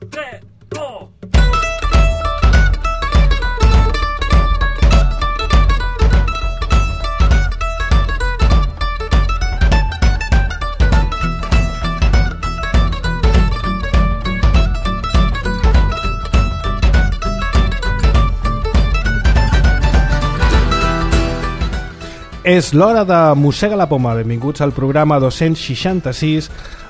3, 2... És l'hora de Mossega la Poma. Benvinguts al programa 266,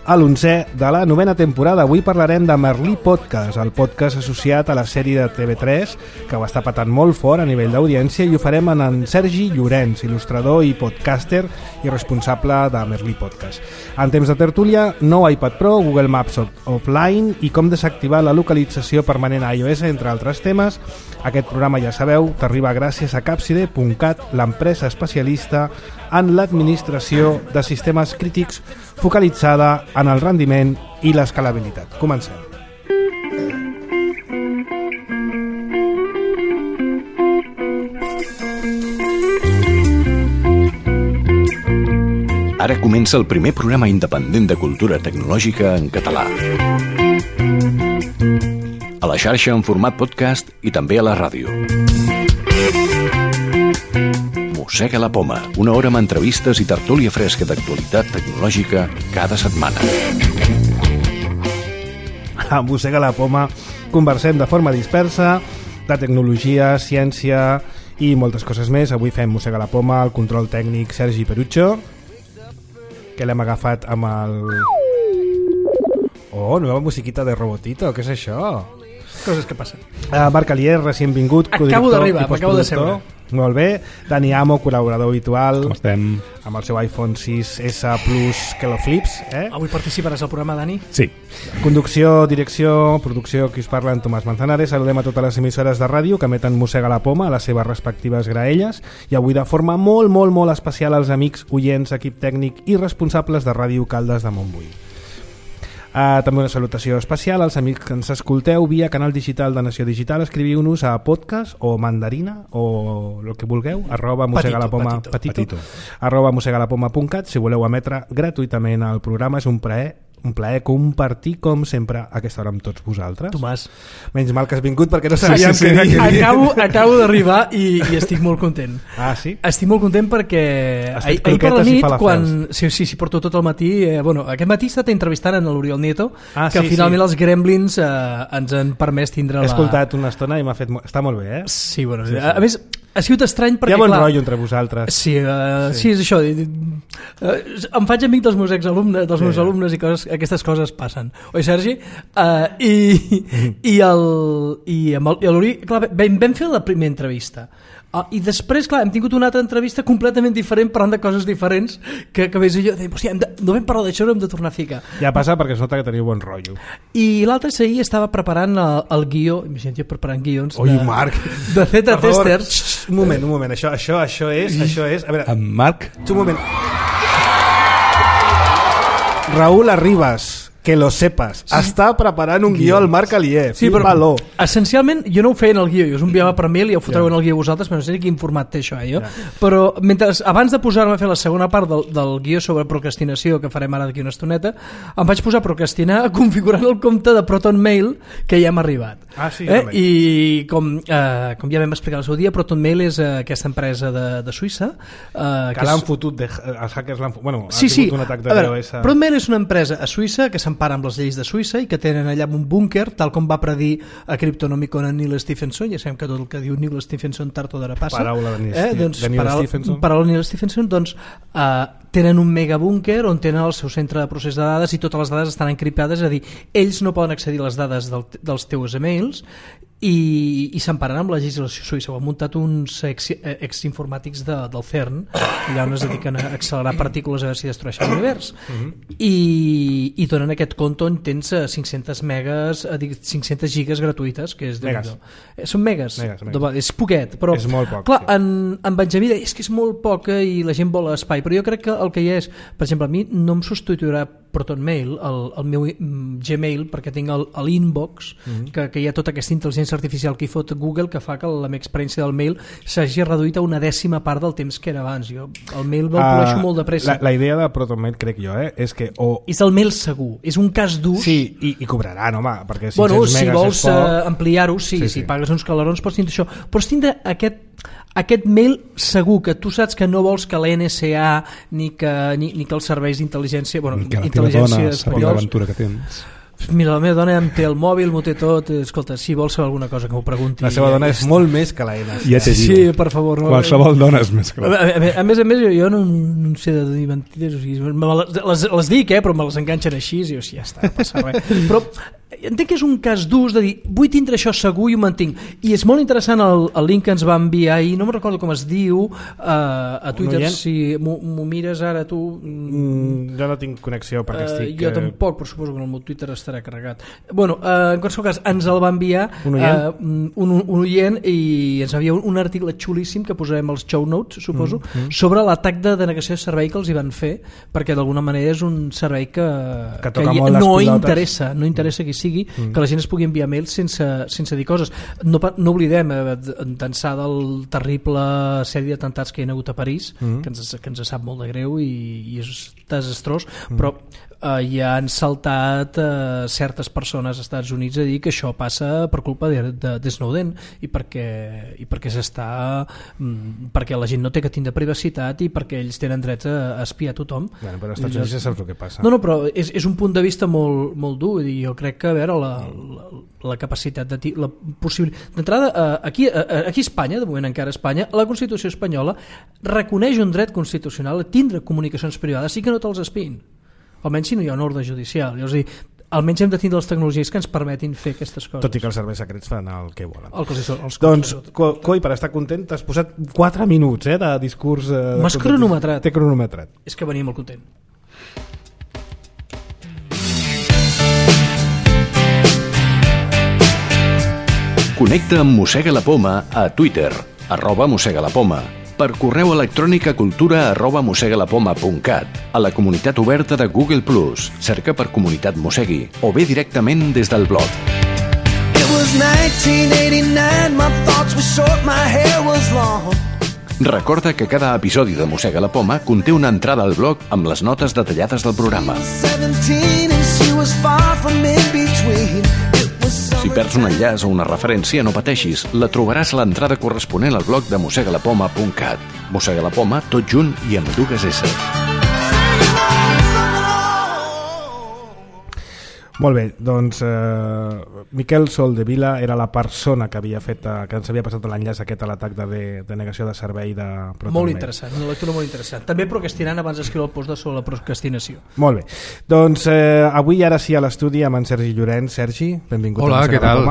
a l'11è de la 9a temporada. Avui parlarem de Merlí Podcast, el podcast associat a la sèrie de TV3, que ho està patant molt fort a nivell d'audiència, i ho farem en Sergi Llorenç, il·lustrador i podcaster i responsable de Merlí Podcast. En temps de tertúlia, nou iPad Pro, Google Maps offline i com desactivar la localització permanent a iOS, entre altres temes. Aquest programa, ja sabeu, t'arriba gràcies a Capside.cat, l'empresa especialista en l'administració de sistemes crítics focalitzada en el rendiment i l'escalabilitat. Comencem. Ara comença el primer programa independent de cultura tecnològica en català. A la xarxa en format podcast i també a la ràdio. Mossega la Poma, una hora amb entrevistes i tertúlia fresca d'actualitat tecnològica cada setmana. A Mossega la Poma conversem de forma dispersa de tecnologia, ciència i moltes coses més. Avui fem Mossega la Poma, el control tècnic Sergi Perucho, que l'hem agafat amb el... Oh, nova musiquita de Robotito, què és això? Coses que passen. Marc Alier, recient vingut, acabo d'arribar, m'acabo de seure. Molt bé. Dani Amo, col·laborador habitual. Com estem? Amb el seu iPhone 6S Plus que lo flips, Avui participaràs al programa, Dani? Sí. Conducció, direcció, producció, qui us parla, en Tomàs Manzanares. Saludem a totes les emissores de ràdio que emeten Mossega la Poma a les seves respectives graelles, i avui de forma molt especial als amics, oients, equip tècnic i responsables de Ràdio Caldes de Montbui. També una salutació especial als amics que ens escolteu via canal digital de Nació Digital. Escriviu-nos a podcast o mandarina o el que vulgueu, @mosegalapoma.cat, @mosegalapoma.cat, si voleu emetre gratuïtament el programa. És un plaer compartir, com sempre, aquesta hora amb tots vosaltres. Tomàs, menys mal que has vingut, perquè no sabíem sí. Acabo d'arribar i estic molt content. Ah, sí? Estic molt content perquè ahir per la nit, quan... Sí, porto tot el matí. Aquest matí he estat entrevistant en l'Oriol Nieto, que finalment els Gremlins ens han permès tindre He escoltat una estona i m'ha fet... Està molt bé, Sí, bueno, sí. A més, ha sigut estrany perquè... Hi ha bon rotllo entre vosaltres. Sí, és això. Em faig amic dels meus exalumnes, dels meus alumnes, i aquestes coses passen. Oi, Sergi? I l'Uri... Vam fer la primera entrevista. I després, clar, hem tingut una altra entrevista completament diferent, parlant de coses diferents, que més jo deia, hòstia, no vam parlar d'això, hem de tornar a ficar. Ja passa perquè es nota que teniu bon rotllo. I l'altre ahir estava preparant el guió, imagina't jo preparant guions Marc, de Z-Testers. Un moment, això és... A veure, en Marc? Un moment. Raúl Arribas, que lo sepas, està preparant un guió al Marc Alier. Sí, però essencialment jo no ho feia en el guió, jo us enviava per mail i ho fotreu en el guió vosaltres, però no sé quin format té això, jo. Però abans de posar-me a fer la segona part del guió sobre procrastinació, que farem ara d'aquí una estoneta, em vaig posar a procrastinar configurant el compte de Proton Mail, que ja m'ha arribat. Sí, I com ja vam explicar el seu dia, Proton Mail és aquesta empresa de Suïssa que l'han fotut, els hackers l'han fotut, bueno, ha tingut un atac de DOS. Proton Mail és una empresa a Suïssa que s'empara amb les lleis de Suïssa i que tenen allà un búnquer, tal com va predir a Cryptonomicon en Neil Stephenson. Ja sabem que tot el que diu Neil Stephenson tard o d'ara passa. Paraula de Neil Stephenson. Paraula de Neil Stephenson, doncs tenen un megabúnquer on tenen el seu centre de procés de dades i totes les dades estan encriptades, és a dir, ells no poden accedir a les dades dels teus emails i s'emparen amb la legislació suïssa. Ho han muntat uns exinformàtics del CERN, allà on es dediquen a accelerar partícules a veure si destrueixen l'univers, i donen aquest compte on tens 500 gigas gratuïtes, que és són megas. És poquet, però és molt poc, clar, en Benjamí deia, és que és molt poc i la gent vol espai, però jo crec que el que hi és, per exemple, a mi no em substituirà Proton Mail, el meu Gmail, perquè tinc l'inbox, que hi ha tota aquesta intel·ligència intel·ligència artificial que hi fot Google que fa que la meva experiència del mail s'hagi reduït a una 10ª part del temps que era abans. Jo el mail me'l poleixo molt de pressa. La idea de ProtonMail, crec jo, és que és el mail segur, és un cas d'ús. Sí, i cobraran, home, perquè 500 bueno, megas si vols ampliar-ho, sí. Si pagues uns calarons pots tindre això, però tindre aquest mail segur que tu saps que no vols que la NSA ni que els serveis d'intel·ligència, bueno, que la teva dona sabi l'aventura que tens. Mira, la meva dona em té el mòbil, m'ho té tot. Escolta, si vols saber alguna cosa que m'ho pregunti. La seva dona és molt més que la NSA. Ja t'he dit. Sí, per favor. No. Qualsevol dona és més que la A més, jo no sé de dir mentides. O sigui, les dic, però me les enganxen així i ja està, no passa res. Però entenc que és un cas d'ús de dir vull tindre això segur i ho mantinc. I és molt interessant el link que ens va enviar ahir, no me'n recordo com es diu, a Twitter, si m'ho mires ara tu. Jo no tinc connexió perquè estic... Jo tampoc, però suposo que el meu Twitter estarà carregat. Bueno, en qualsevol cas, ens el va enviar un oient i ens envia un article xulíssim que posarem als show notes, suposo, sobre l'atac de denegació de servei que els hi van fer, perquè d'alguna manera és un servei que no interessa qui sigui, que la gent es pugui enviar mails sense dir coses. No oblidem d'ençà del terrible sèrie d'atemptats que hi ha hagut a París, que ens sap molt de greu i és desastrós, però ja han saltat certes persones als Estats Units a dir que això passa per culpa de Snowden i perquè la gent no té que tindre privacitat i perquè ells tenen dret a espiar tothom. Bueno, però als Estats Units ja saps el que passa. No, però és un punt de vista molt, molt dur i jo crec que a veure la capacitat la possibilitat d'entrada aquí a Espanya, de moment encara a Espanya, la Constitució espanyola reconeix un dret constitucional a tindre comunicacions privades i que no te'ls espiïn, almenys si no hi ha un ordre judicial. És a dir, almenys hem de tindre les tecnologies que ens permetin fer aquestes coses. Tot i que els serveis secrets fan el que volen. Doncs, Coi, per estar content, t'has posat 4 minuts de discurs... M'has cronometrat. T'he cronometrat. És que venia molt content. Connecta amb Mossega la Poma a Twitter, @mossegalapoma, per correu electrònic a cultura@mossegalapoma.cat, a la comunitat oberta de Google+, cerca per Comunitat Mossegui, o bé directament des del blog. Recorda que cada episodi de Mossega la Poma conté una entrada al blog amb les notes detallades del programa. Si perds un enllaç o una referència, no pateixis, la trobaràs a l'entrada corresponent al blog de mossegalapoma.cat. Mossega la Poma, tot junt i amb 2 S. Molt bé, doncs Miquel Soldevila era la persona que havia fet, que ens havia passat l'enllaç aquest a l'atac de denegació de servei de ProtonMail. Molt interessant, una lectura molt interessant. També procrastinant abans d'escriure el post sobre la procrastinació. Molt bé, doncs avui ara sí a l'estudi amb en Sergi Llorenç. Sergi, benvingut. Hola, què tal?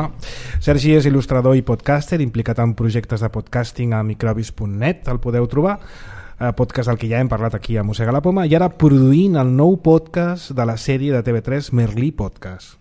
Sergi és il·lustrador i podcaster, implicat en projectes de podcasting a microbis.net, el podeu trobar, podcast del que ja hem parlat aquí a Mossega la Poma, i ara produint el nou podcast de la sèrie de TV3 Merlí Podcast.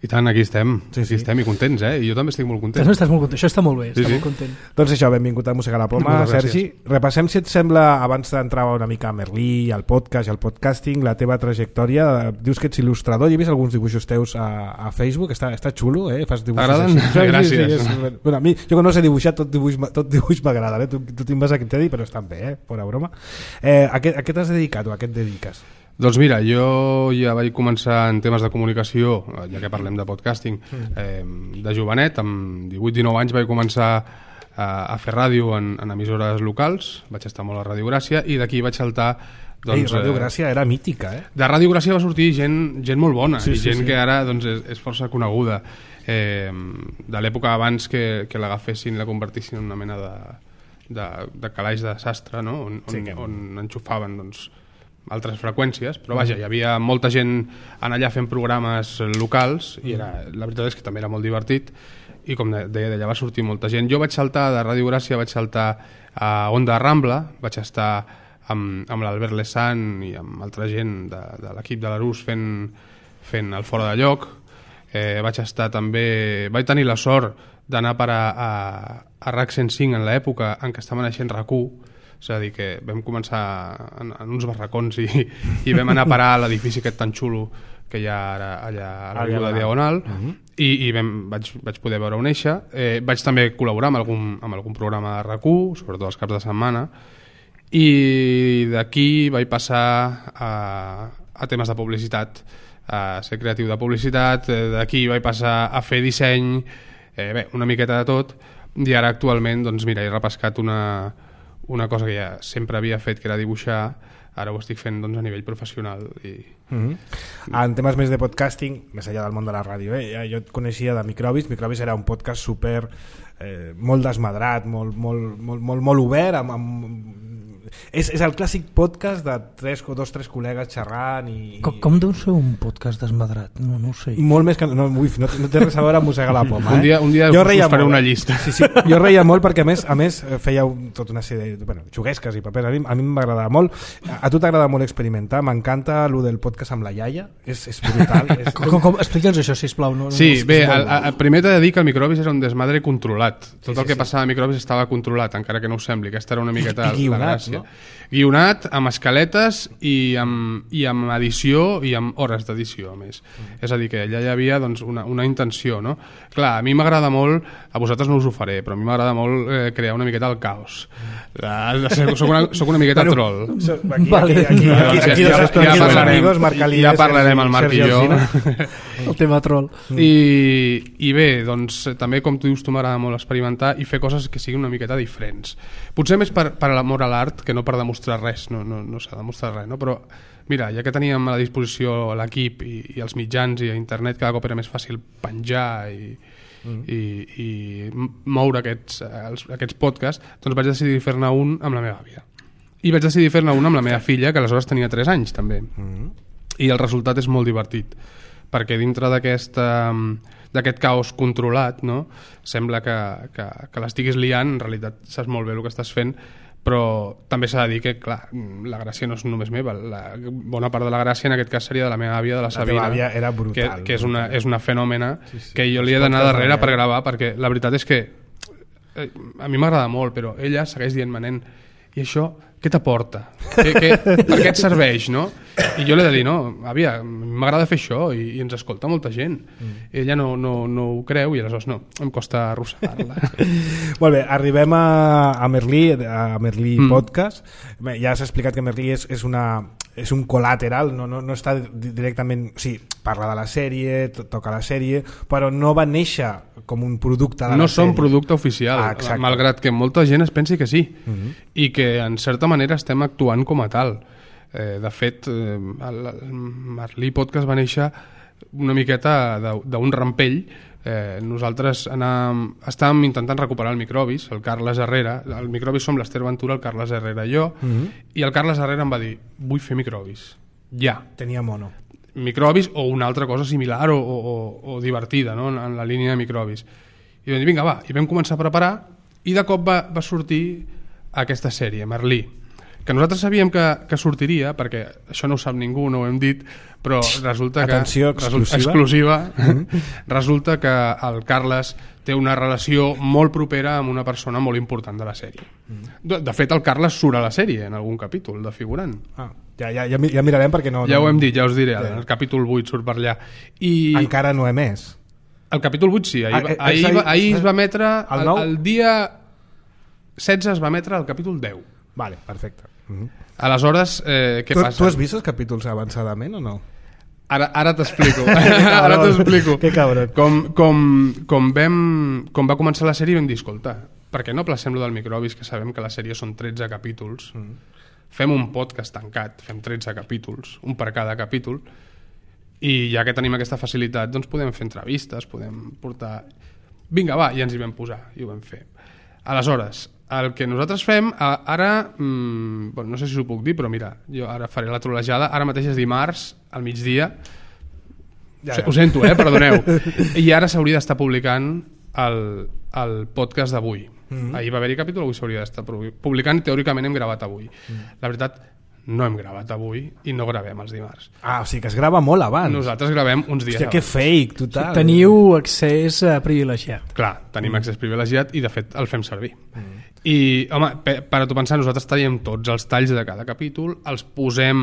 I tant, aquí estem, aquí estem i contents, I jo també estic molt content. Estàs molt content, això està molt bé, molt content. Doncs això, benvingut a Mossega la Poma, Sergi. Repassem, si et sembla, abans d'entrar una mica a Merlí, al podcast i al podcasting, la teva trajectòria. Dius que ets il·lustrador, jo he vist alguns dibuixos teus a Facebook, està xulo, fas dibuixos. T'agraden? Gràcies. Bueno, a mi, jo que no sé dibuixar, tot dibuix m'agrada, Tu te'n vas a dir, però estan bé, fora broma. A què t'has dedicat o a què et dediques? Doncs mira, jo ja vaig començar en temes de comunicació, ja que parlem de podcasting, de jovenet, amb 18-19 anys vaig començar a fer ràdio en emissores locals, vaig estar molt a Ràdio Gràcia i d'aquí vaig saltar... Doncs, Ràdio Gràcia era mítica, De Ràdio Gràcia va sortir gent molt bona, gent que ara doncs, és força coneguda, de l'època abans que l'agafessin i la convertissin en una mena de calaix de sastre, no? on enxufaven doncs, altres freqüències, però vaja, hi havia molta gent allà fent programes locals i la veritat és que també era molt divertit i com deia, d'allà va sortir molta gent. Jo vaig saltar de Ràdio Gràcia, vaig saltar a Onda Rambla, vaig estar amb l'Albert Lesan i amb altra gent de l'equip de l'Arús fent el Fora de Lloc. Vaig estar també, vaig tenir la sort d'anar a parar a RAC 105 en l'època en què estava naixent RAC1. És a dir, que vam començar en uns barracons i vam anar a parar a l'edifici aquest tan xulo que hi ha ara allà a l'Avinguda Diagonal, i vaig poder veure-ho néixer. Vaig també col·laborar amb algun programa de RAC1, sobretot els caps de setmana, i d'aquí vaig passar a temes de publicitat, a ser creatiu de publicitat, d'aquí vaig passar a fer disseny, una miqueta de tot, i ara actualment doncs mira, he repescat una cosa que ja sempre havia fet, que era dibuixar. Ara ho estic fent doncs, a nivell professional. En temes més de podcasting, més enllà del món de la ràdio, jo et coneixia de Microbis. Microbis era un podcast super molt desmadrat, molt obert, és el clàssic podcast de dos o tres col·legues xerrant Com deu ser un podcast desmadrat? No ho sé. Molt més que... No té res a veure amb Mossega la Poma. Un dia us faré una llista. Sí, jo reia molt perquè a més fèieu tota una sèrie de xuguesques i papers. A mi m'agradava molt. A tu t'agrada molt experimentar. M'encanta el del podcast amb la iaia. És brutal. Explica'ns això, sisplau. Sí, bé, primer t'he de dir que el Microbis era un desmadre controlat. Tot el que passava a Microbis estava controlat, encara que no ho sembli. Aquesta era una miqueta la gràcia. Guionat, amb escaletes i amb edició i amb hores d'edició, a més. És a dir, que allà hi havia doncs, una intenció, no? Clar, a mi m'agrada molt, a vosaltres no us ho faré, però a mi m'agrada molt crear una miqueta el caos. Soc una miqueta troll. Ja parlarem el Marc i jo. El tema troll. I bé, doncs també, com tu dius, tu m'agrada molt experimentar i fer coses que siguin una miqueta diferents. Potser més per l'amor a l'art que no per demostrar res, no s'ha demostrat res, no? Però mira, ja que teníem a la disposició l'equip i els mitjans i a internet, cada cop era més fàcil penjar i moure aquests podcasts, doncs vaig decidir fer-ne un amb la meva àvia. I vaig decidir fer-ne un amb la meva filla, que aleshores tenia 3 anys també. I el resultat és molt divertit, perquè dintre d'aquest caos controlat, no? Sembla que l'estiguis liant, en realitat saps molt bé el que estàs fent, però també s'ha de dir que, clar, la gràcia no és només meva, la bona part de la gràcia en aquest cas seria de la meva àvia, de la Sabina. La teva àvia era brutal. Que és una fenòmena que jo li he d'anar darrere per gravar, perquè la veritat és que a mi m'agrada molt, però ella segueix dient-me, nen, i això què t'aporta? Per què et serveix, no? I jo li he de dir, no, àvia, m'agrada fer això i ens escolta molta gent. Ella no ho creu i aleshores no, em costa arrossegar-la. Molt bé, arribem a Merlí Podcast. Bé, ja has explicat que Merlí és un col·lateral, no està directament... Sí, parla de la sèrie, toca la sèrie, però no va néixer com un producte de la sèrie. No són producte oficial, malgrat que molta gent es pensi que sí, i que en certa manera estem actuant com a tal. De fet, el Merlí Podcast va néixer una miqueta d'un rampell. Nosaltres estàvem intentant recuperar el Microbis, el Carles Herrera. El Microbis som l'Ester Ventura, el Carles Herrera i jo, i el Carles Herrera em va dir, vull fer Microbis, ja. Tenia mono. Microbis o una altra cosa similar o divertida, no? En la línia de Microbis. I vam dir, vinga, va, i vam començar a preparar, i de cop va sortir aquesta sèrie, Merlí, que nosaltres sabíem que sortiria, perquè això no ho sap ningú, no ho hem dit, però resulta que... Atenció, exclusiva. Resulta que el Carles té una relació molt propera amb una persona molt important de la sèrie. De fet, el Carles surt a la sèrie en algun capítol, de figurant. Ja mirarem perquè no... Ja ho hem dit, ja us diré, el capítol 8 surt per allà. Encara no he emès. El capítol 8 sí, ahir es va emetre, el dia 16 es va emetre el capítol 10. Vale, perfecte. Aleshores, què passa? Tu has vist els capítols avançadament o no? Ara t'explico. Ara t'explico. Que cabron. Com va començar la sèrie vam dir, escolta, per què no placem lo del Microbis, que sabem que la sèrie són 13 capítols, fem un podcast tancat, fem 13 capítols, un per cada capítol, i ja que tenim aquesta facilitat, doncs podem fer entrevistes, podem portar... Vinga, va, i ens hi vam posar, i ho vam fer. Aleshores, el que nosaltres fem, ara, no sé si ho puc dir, però mira, jo ara faré la trolejada, ara mateix és dimarts, al migdia, ho sento, perdoneu, i ara s'hauria d'estar publicant el podcast d'avui. Ahir va haver-hi capítol, avui s'hauria d'estar publicant, teòricament hem gravat avui. La veritat, no hem gravat avui i no gravem els dimarts. O sigui que es grava molt abans. Nosaltres gravem uns dies abans. Que fake, total. Teniu accés privilegiat. Clar, tenim accés privilegiat i de fet el fem servir. I, home, per a tu pensar, nosaltres tallem tots els talls de cada capítol, els posem,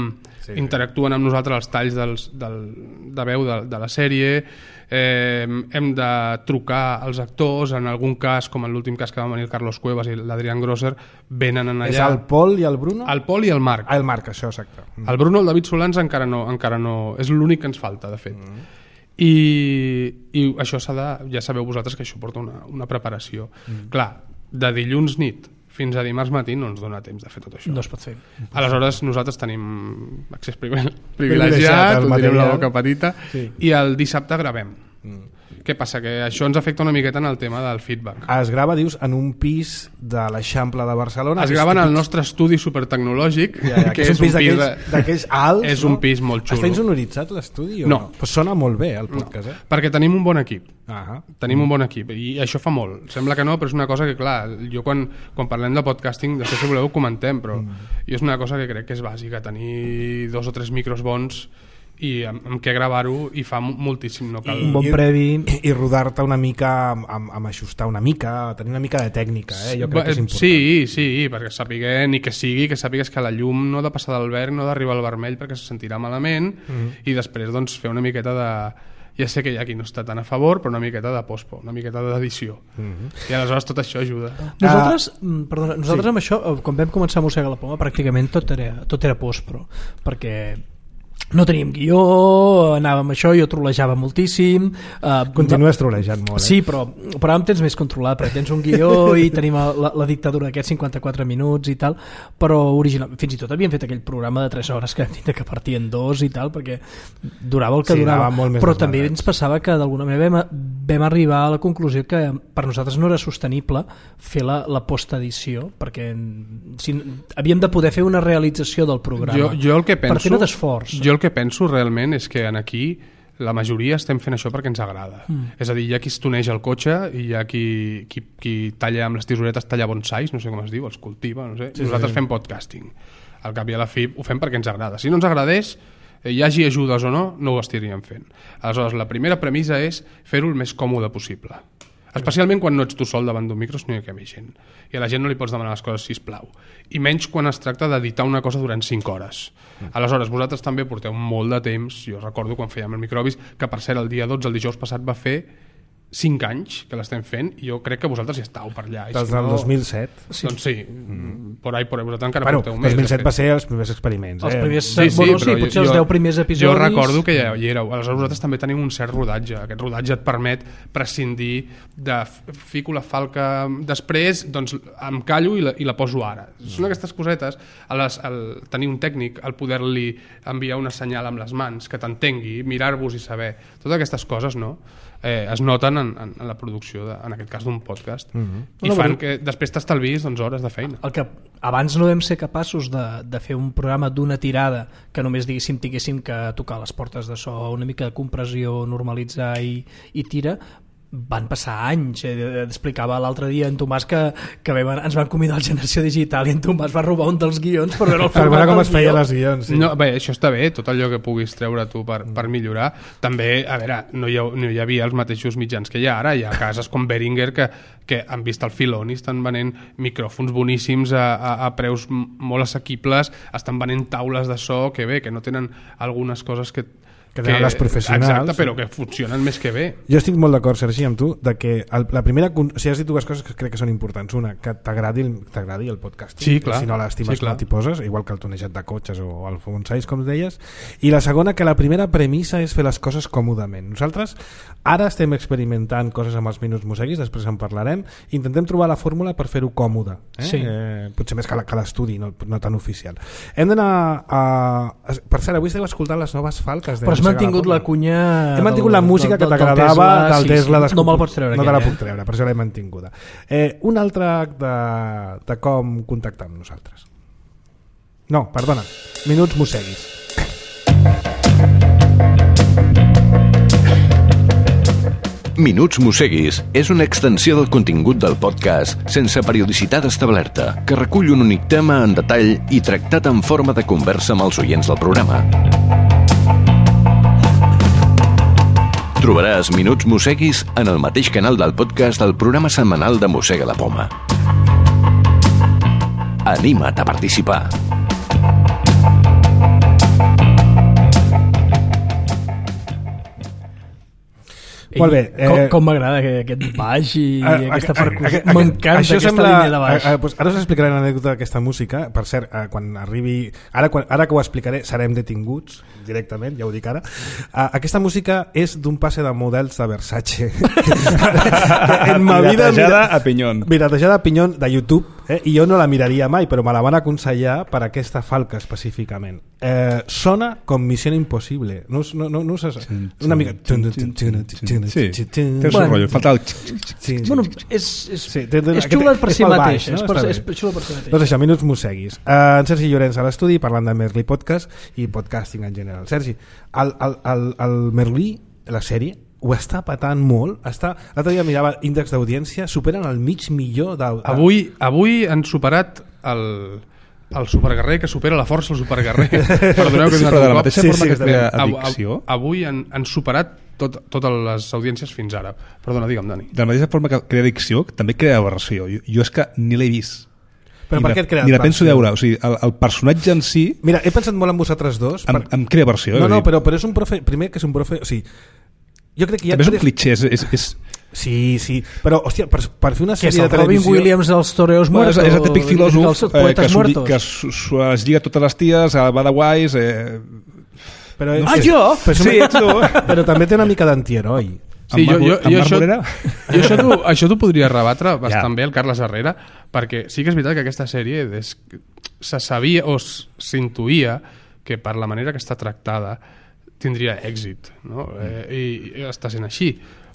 interactuen amb nosaltres els talls de veu de la sèrie, hem de trucar als actors, en algun cas, com en l'últim cas que van venir el Carlos Cuevas i l'Adrián Grosser, venen allà. És el Pol i el Bruno? El Pol i el Marc. El Marc, això, exacte. El Bruno, el David Solans encara no, és l'únic que ens falta, de fet. I això ja sabeu vosaltres que això porta una preparació. Clar, de dilluns nit fins a dimarts matí no ens dona temps de fer tot això. No es pot fer. Aleshores nosaltres tenim accés privilegiat, ho direm la boca petita, i el dissabte gravem. Què passa? Que això ens afecta una miqueta en el tema del feedback. Es grava, dius, en un pis de l'Eixample de Barcelona? Es grava en el nostre estudi supertecnològic, que és un pis d'aquells alts. És un pis molt xulo. Està insonoritzat l'estudi o no? Pues sona molt bé el podcast, perquè tenim un bon equip. Tenim un bon equip i això fa molt. Sembla que no, però és una cosa que, clar, jo quan parlem de podcasting, després si voleu ho comentem, però és una cosa que crec que és bàsica, tenir 2 o 3 micros bons i amb què gravar-ho, i fa moltíssim, no cal... Un bon previ. I rodar-te una mica, amb ajustar una mica, tenir una mica de tècnica, jo crec que és important. Sí, perquè sàpiga, ni que sàpigues que la llum no ha de passar del verd, no ha d'arribar al vermell perquè se sentirà malament, i després doncs fer una miqueta de... Ja sé que hi ha qui no està tan a favor, però una miqueta de pospo, una miqueta d'edició. I aleshores tot això ajuda. Nosaltres amb això, quan vam començar a mossegar la poma, pràcticament tot era postpro, perquè no teníem guió, anàvem això, jo trolejava moltíssim. Continues trolejant molt, Sí, però ara em tens més controlat, perquè tens un guió i tenim la dictadura d'aquests 54 minuts i tal, però original, fins i tot havíem fet aquell programa de 3 hores que vam tindre que partir en 2 i tal, perquè durava el que durava, però també ens passava que d'alguna manera vam arribar a la conclusió que per nosaltres no era sostenible fer la postedició, perquè havíem de poder fer una realització del programa. Jo el que penso, per fer-ne d'esforç. Jo el que penso realment és que aquí la majoria estem fent això perquè ens agrada. És a dir, hi ha qui estoneja el cotxe i hi ha qui talla amb les tisoretes, talla bonsais, no sé com es diu, els cultiva, no sé. Nosaltres fem podcasting. Al cap i a la fi ho fem perquè ens agrada. Si no ens agradés, hi hagi ajudes o no, no ho estaríem fent. Aleshores, la primera premissa és fer-ho el més còmode possible. Especialment quan no ets tu sol davant d'un micro, sinó que hi ha més gent. I a la gent no li pots demanar les coses, sisplau. I menys quan es tracta d'editar una cosa durant 5 hores. Aleshores, vosaltres també porteu molt de temps. Jo recordo quan fèiem el Microbis, que per cert el dia 12, el dijous passat, va fer 5 anys que l'estem fent, i jo crec que vosaltres hi estàveu per allà. Des del 2007. Doncs sí, por ahí vosaltres encara porteu més. 2007 va ser els primers experiments. Els primers, potser els 10 primers episodis. Jo recordo que ja hi éreu. Aleshores vosaltres també teniu un cert rodatge. Aquest rodatge et permet prescindir de fico la falca després, doncs em callo i la poso ara. Són aquestes cosetes, tenir un tècnic, el poder-li enviar una senyal amb les mans, que t'entengui, mirar-vos i saber. Totes aquestes coses, no? Es noten en la producció, en aquest cas d'un podcast, i fan que després t'estalvis hores de feina. El que abans no vam ser capaços de fer un programa d'una tirada que només tinguéssim que tocar les portes de so, una mica de compressió, normalitzar i tira, van passar anys. Explicava l'altre dia en Tomàs que ens van convidar a Generació Digital i en Tomàs va robar un dels guions per veure el format com es feia les guions. No, bé, això està bé, tot allò que puguis treure tu per millorar. També, a veure, no hi havia els mateixos mitjans que hi ha ara. Hi ha cases com Behringer que han vist el filon i estan venent micròfons boníssims a preus molt assequibles, estan venent taules de so que bé, que no tenen algunes coses que tenen les professionals. Exacte, però que funcionen més que bé. Jo estic molt d'acord, Sergi, amb tu, de que la primera... Si has dit dues coses que crec que són importants. Una, que t'agradi el podcasting. Sí, clar. Si no l'estimes, no t'hi poses, igual que el tonejat de cotxes o el bonsais, com deies. I la segona, que la primera premissa és fer les coses còmodament. Nosaltres ara estem experimentant coses amb els minuts mosseguis, després en parlarem. Intentem trobar la fórmula per fer-ho còmode. Sí. Potser més que l'estudi, no tan oficial. Hem d'anar a... Per cert, avui esteu escoltant les noves falques de... Però has mantingut la cunya... He mantingut la música que t'agradava del Tesla. No me'l pots treure. No te la puc treure, per això l'he mantinguda. Un altre de com contactar amb nosaltres. No, perdona. Minuts mosseguis. Minuts Mosseguis és una extensió del contingut del podcast sense periodicitat establerta, que recull un únic tema en detall i tractat en forma de conversa amb els oients del programa. Trobaràs Minuts Mosseguis en el mateix canal del podcast del programa setmanal de Mossega la Poma. Anima't a participar. Molt bé. Com m'agrada aquest baix i aquesta percussió. M'encanta aquesta línia de baix. Ara us explicaré l'anècdota d'aquesta música. Per cert, quan arribi... Ara que ho explicaré, serem detinguts directament, ja ho dic ara. Aquesta música és d'un passe de models de Versace. Piratejada a Pinyón. Piratejada a Pinyón de YouTube, i jo no la miraria mai, però me la van aconsellar per aquesta falca específicament. Sona com Missió Impossible. No sé, una mica... Sí, té el seu rotllo, falta el... Bueno, és xula per si mateix. És xula per si mateix. Doncs això, Minuts Musseguis. En Sergi Llorenç a l'estudi, parlant de Merlí Podcast i podcasting en general. Sergi, el Merlí, la sèrie, ho està patant molt. L'altre dia mirava índex d'audiència, superen el $500,000. Avui han superat el superguerrer que supera la força el superguerrer. Perdoneu que però de la mateixa forma que crea addicció. Avui han superat totes les audiències fins ara. Perdona, digue'm, Dani. De la mateixa forma que crea addicció, també crea aversió. Jo és que ni l'he vist. Però per què et crea ni la penso veure. O sigui, el personatge en si... Mira, he pensat molt en vosaltres dos. Em crea aversió. No, però és un profe... Primer que és un profe... O sigui, jo crec que també és un clitxé. Sí, però, hòstia, per fer una sèrie de televisió... Robin Williams dels toreos muertos? És el típic filòsof que es lliga totes les ties, va de guais... Però, jo? Però també té una mica d'antiheroi. Sí, això t'ho podria rebatre bastant bé el Carles Herrera, perquè sí que és veritat que aquesta sèrie se sabia o s'intuïa que per la manera que està tractada tindria èxit, no? I està sent així.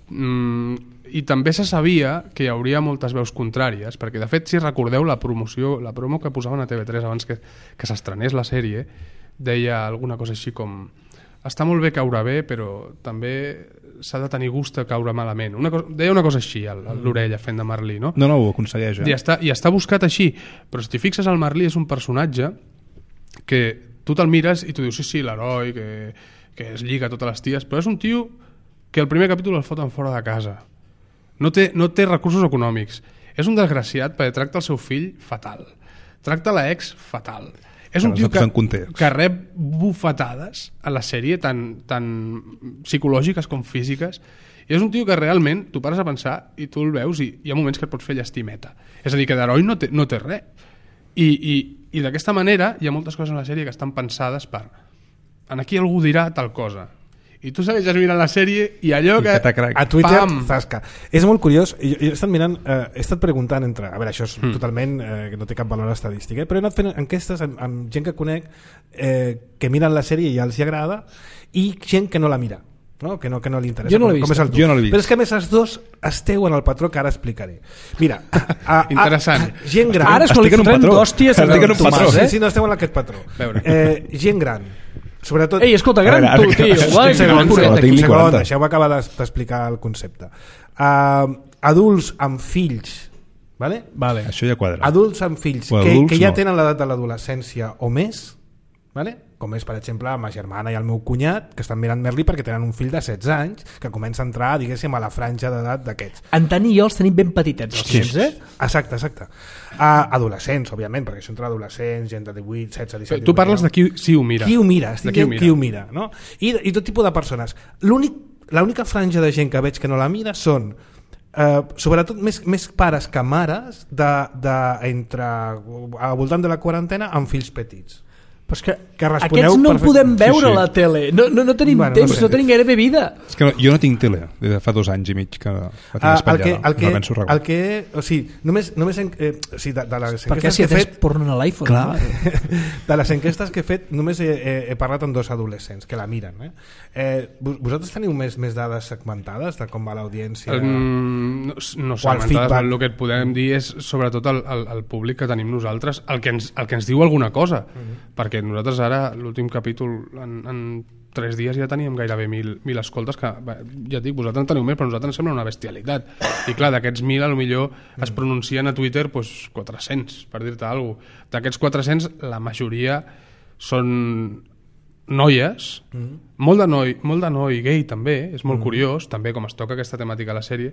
I també se sabia que hi hauria moltes veus contràries, perquè de fet, si recordeu la promo que posaven a TV3 abans que s'estrenés la sèrie, deia alguna cosa així com: està molt bé caure bé, però també s'ha de tenir gust a caure malament. Deia una cosa així a l'orella fent de Merlí, no? No, ho aconsegueix. I està buscat així, però si t'hi fixes, el Merlí és un personatge que tu te'l mires i tu dius sí, l'heroi que es lliga a totes les ties, però és un tio que el primer capítol el foten fora de casa. No té recursos econòmics. És un desgraciat perquè tracta el seu fill fatal. Tracta la ex fatal. És un tio que rep bufetades a la sèrie tan psicològiques com físiques, i és un tio que realment tu pares a pensar i tu el veus i hi ha moments que et pots fer llestimeta. És a dir, que d'heroi no té res. I d'aquesta manera hi ha moltes coses en la sèrie que estan pensades per aquí algú dirà tal cosa. I tu segueixes mirant la sèrie i allò que... A Twitter, zasca. És molt curiós. Jo he estat mirant, he estat preguntant entre... A veure, això és totalment... que no té cap valor estadístic, però he anat fent enquestes amb gent que conec que miren la sèrie i ja els agrada, i gent que no la mira, no? Que no li interessa. Jo no l'he vist. Però és que a més els dos esteu en el patró que ara explicaré. Mira, interessant. Gent gran... Ara és que li fotrem d'hòsties en un patró. Sí, no esteu en aquest patró. Gent gran. Sobretot... Ei, escolta, gran tu, tio. Un segon, deixeu-me acabar d'explicar el concepte. Adults amb fills, vale? Això ja quadra. Adults amb fills que ja tenen l'edat de l'adolescència o més, vale? Com és, per exemple, ma germana i el meu cunyat, que estan mirant Merlí perquè tenen un fill de 16 anys que comença a entrar, diguéssim, a la franja d'edat d'aquests. En Tani i jo els tenim ben petitets, els fills, Exacte. Adolescents, òbviament, perquè això entre adolescents, gent de 18, 16, 17... Tu parles de qui ho mira. Qui ho mira, no? I tot tipus de persones. L'única franja de gent que veig que no la mira són sobretot més pares que mares al voltant de la quarantena amb fills petits. Però és que aquests no podem veure la tele, no tenim temps, no tenim gairebé vida. És que jo no tinc tele, des de fa 2 anys i mig que la tinc espatllada, no penso regular. O sigui, només perquè si atès porno a l'iPhone. De les enquestes que he fet només he parlat amb 2 adolescents que la miren. Vosaltres teniu més dades segmentades de com va l'audiència? No segmentades, el que et podem dir és sobretot el públic que tenim nosaltres, el que ens diu alguna cosa, perquè nosaltres ara, l'últim capítol, en 3 dies ja teníem gairebé 1.000 escoltes, que ja et dic, vosaltres en teniu més, però nosaltres ens sembla una bestialitat. I clar, d'aquests 1.000 potser es pronuncien a Twitter 400, per dir-te alguna cosa. D'aquests 400, la majoria són noies, molt de noi gay també, és molt curiós també com es toca aquesta temàtica a la sèrie,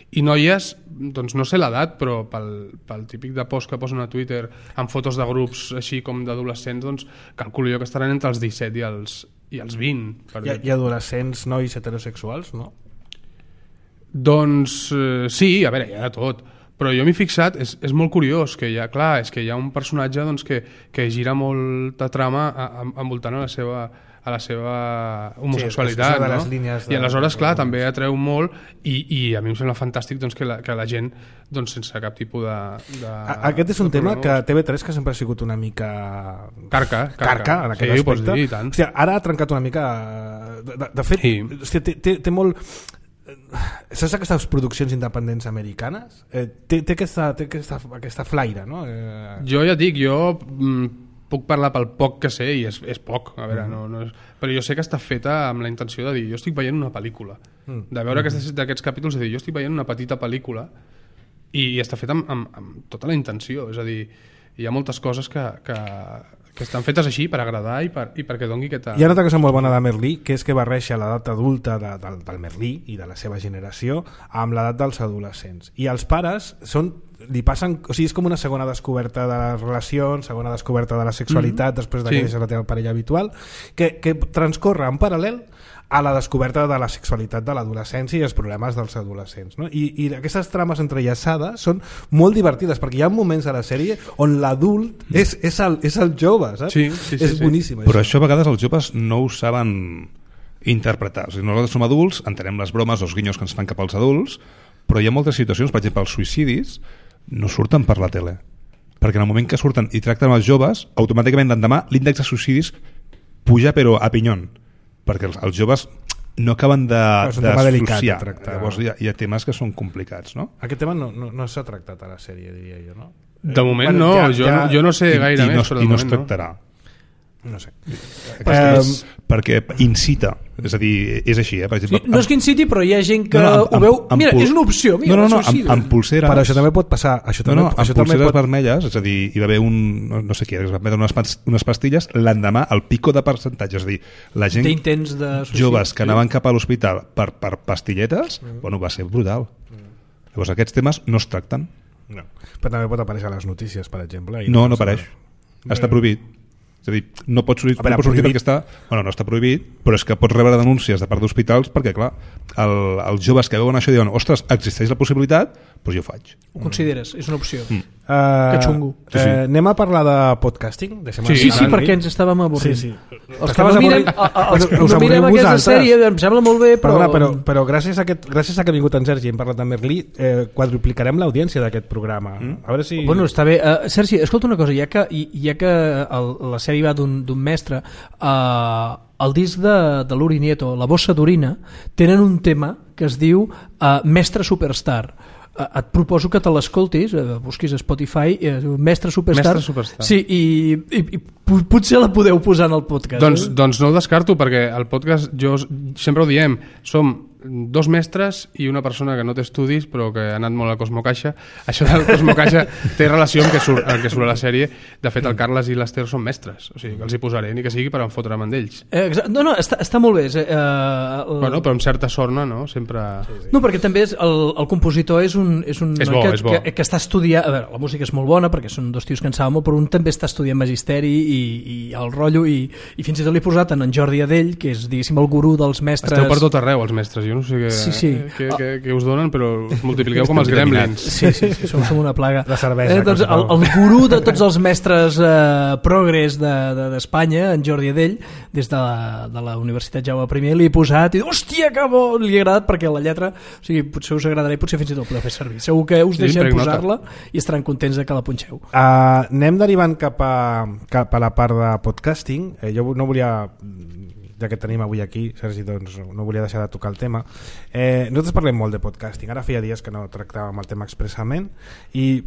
i noies, doncs no sé l'edat, però pel típic de post que posen a Twitter amb fotos de grups així com d'adolescents, doncs calculo jo que estaran entre els 17 i els 20. I adolescents nois heterosexuals, no? Doncs sí, a veure, hi ha de tot, però jo m'he fixat, és molt curiós que hi ha un personatge doncs, que gira molta trama envoltant a la seva homosexualitat, no? I aleshores, clar, també atreu molt i a mi em sembla fantàstic doncs, que la gent doncs, sense cap tipus de aquest és un tema que TV3 que sempre ha sigut una mica carca en aquest aspecte. Pots dir, tant. Hòstia, ara ha trencat una mica de fet, sí. Hòstia, té molt... Saps aquestes produccions independents americanes? Té aquesta flaire, no? Jo ja dic, puc parlar pel poc que sé i és poc, a veure, no és... però jo sé que està feta amb la intenció de dir jo estic veient una pel·lícula, de veure d'aquests capítols, de dir jo estic veient una petita pel·lícula i està feta amb tota la intenció, és a dir, hi ha moltes coses que estan fetes així per agradar i perquè doni aquesta... Hi ha una altra cosa molt bona de Merlí, que és que barreja l'edat adulta del Merlí i de la seva generació amb l'edat dels adolescents. I els pares li passen, o sigui, és com una segona descoberta de les relacions, segona descoberta de la sexualitat després que deixes la teva parella habitual, que transcorre en paral·lel a la descoberta de la sexualitat de l'adolescència i els problemes dels adolescents, no? I aquestes trames entrellaçades són molt divertides perquè hi ha moments a la sèrie on l'adult és el jove, saps? Sí, és boníssim. Però això a vegades els joves no ho saben interpretar. O sigui, nosaltres som adults, entenem les bromes o els guinyos que ens fan cap als adults, però hi ha moltes situacions, per exemple, els suïcidis no surten per la tele, perquè en el moment que surten i tracten els joves, automàticament l'endemà l'índex de suïcidis puja però a pinyon, perquè els joves no acaben d'associar. Llavors hi ha temes que són complicats, no? Aquest tema no s'ha tractat a la sèrie, diria jo, no? De moment no, jo no sé gaire més, però de moment no es tractarà. No sé. Perquè incita, és a dir, és així, per exemple... No és que inciti, però hi ha gent que ho veu... Mira, és una opció. Amb pulseres... Però això també pot passar. Amb pulseres vermelles, és a dir, hi va haver no sé què, es van prendre unes pastilles, l'endemà el pico de percentatge, és a dir, la gent joves que anaven cap a l'hospital per pastilletes, bueno, va ser brutal. Llavors aquests temes no es tracten. No. Però també pot aparèixer a les notícies, per exemple. No apareix. Està prohibit. És a dir, no pots sortir perquè està... Bueno, no està prohibit, però és que pots rebre denúncies de part d'hospitals perquè, clar, els joves que veuen això diuen ostres, existeix la possibilitat, doncs jo ho faig. Ho consideres, és una opció. Que xungo. Anem a parlar de podcasting? Sí, perquè ens estàvem avorrint. Sí. Els que no mirem aquesta sèrie em sembla molt bé, però... Però gràcies a que ha vingut en Sergi i hem parlat de Merlí, quadruplicarem l'audiència d'aquest programa. A veure si... Bueno, està bé. Sergi, escolta una cosa, ja que la sèrie va d'un mestre, el disc de l'Uri Nieto, La bossa d'orina, tenen un tema que es diu Mestre Superstar. Et proposo que te l'escoltis, busquis a Spotify, Mestre Superstar. Sí, i potser la podeu posar en el podcast. Doncs no ho descarto, perquè el podcast, jo sempre ho diem, som 2 mestres i una persona que no té estudis però que ha anat molt a Cosmocaixa. Això del Cosmocaixa té relació amb el que surt a la sèrie. De fet, el Carles i l'Ester són mestres, o sigui que els hi posaré, ni que sigui per enfotre'm amb ells. No, està molt bé. Bueno, però amb certa sorna, no? Sempre... No, perquè també el compositor és bo. Que està estudiant... A veure, la música és molt bona perquè són 2 tios que en saben molt, però un també està estudiant magisteri i el rotllo, i fins i tot l'he posat en Jordi Adell, que és, diguéssim, el gurú dels mestres. Esteu per tot arreu, els mestres. Jo no sé què us donen, però us multipliqueu com els gremlins. Sí, som una plaga. La cervesa. Doncs el gurú de tots els mestres progres d'Espanya, en Jordi Adell, des de la Universitat Jaume I, li he posat i hòstia, que bo! Li ha agradat perquè la lletra, o sigui, potser us agradarà i potser fins i tot podeu fer servir. Segur que us deixem posar-la i estaran contents de que la punxeu. Anem derivant cap a la part de podcasting. Jo no volia... ja que tenim avui aquí, Sergi, doncs no volia deixar de tocar el tema. Nosaltres parlem molt de podcasting, ara feia dies que no tractàvem el tema expressament i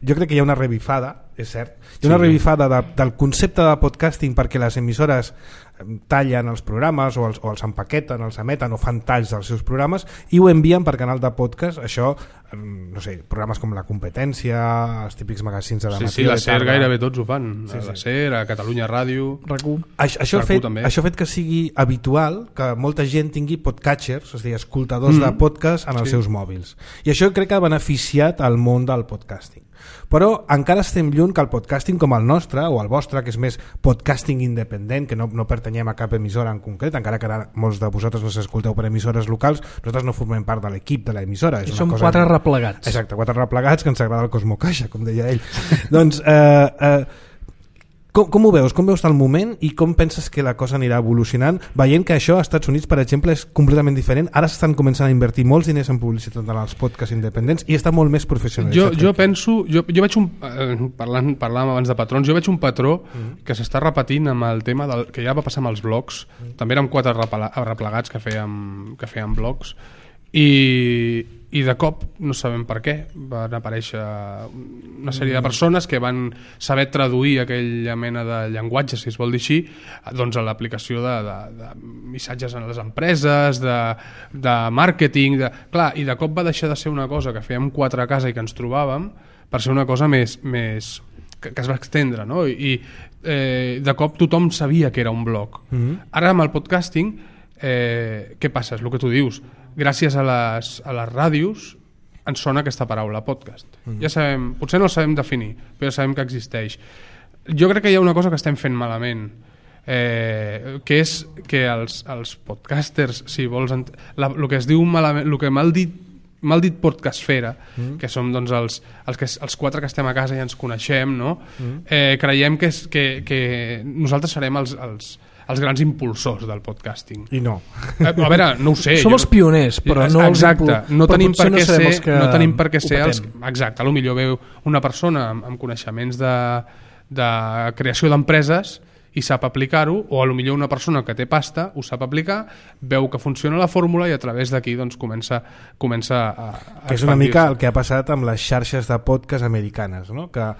jo crec que hi ha una revifada és cert. Hi ha una revifada del concepte de podcasting perquè les emissores tallen els programes o els empaqueten, els emeten o fan talls dels seus programes i ho envien per canal de podcast. Això, no sé, programes com La Competència, els típics magazins de la matí. Sí, la SER gairebé tots ho fan. La SER, a Catalunya Ràdio, RAC1. Això ha fet que sigui habitual que molta gent tingui podcatchers, és a dir, escoltadors de podcast en els seus mòbils. I això crec que ha beneficiat el món del podcasting. Però encara estem lluny que el podcasting com el nostre o el vostre, que és més podcasting independent, que no pertanyem a cap emissora en concret, encara que ara molts de vosaltres no s'escolteu per emissores locals, nosaltres no formem part de l'equip de l'emissora. Som 4 replegats. Exacte, 4 replegats que ens agrada el Cosmo Caixa, com deia ell. Doncs com ho veus? Com veus el moment i com penses que la cosa anirà evolucionant, veient que això als Estats Units, per exemple, és completament diferent? Ara s'estan començant a invertir molts diners en publicitat en els podcasts independents i està molt més professionalitzat. Jo penso, jo veig parlàvem abans de patrons, jo veig un patró que s'està repetint amb el tema que ja va passar amb els blogs. També érem 4 replegats que feien blogs i de cop, no sabem per què, van aparèixer una sèrie de persones que van saber traduir aquella mena de llenguatge, si es vol dir així, doncs a l'aplicació de missatges en les empreses, de màrqueting, clar, i de cop va deixar de ser una cosa que fèiem 4 a casa i que ens trobàvem per ser una cosa més que es va extendre, no? I de cop tothom sabia que era un blog. Ara amb el podcasting, què passa? És el que tu dius. Gràcies a les ràdios ens sona aquesta paraula, podcast. Ja sabem, potser no la sabem definir, però ja sabem que existeix. Jo crec que hi ha una cosa que estem fent malament, que és que els podcasters, si vols, el que es diu malament, el que mal dit podcastfera, que som doncs, els 4 que estem a casa i ens coneixem, no? Creiem que nosaltres serem els grans impulsors del podcasting. I no. A veure, no ho sé. Som els pioners, però no els impulsors. No tenim per què ser els... Exacte, potser veu una persona amb coneixements de creació d'empreses i sap aplicar-ho, o potser una persona que té pasta ho sap aplicar, veu que funciona la fórmula i a través d'aquí doncs, comença a que és una mica el que ha passat amb les xarxes de podcast americanes, no? Que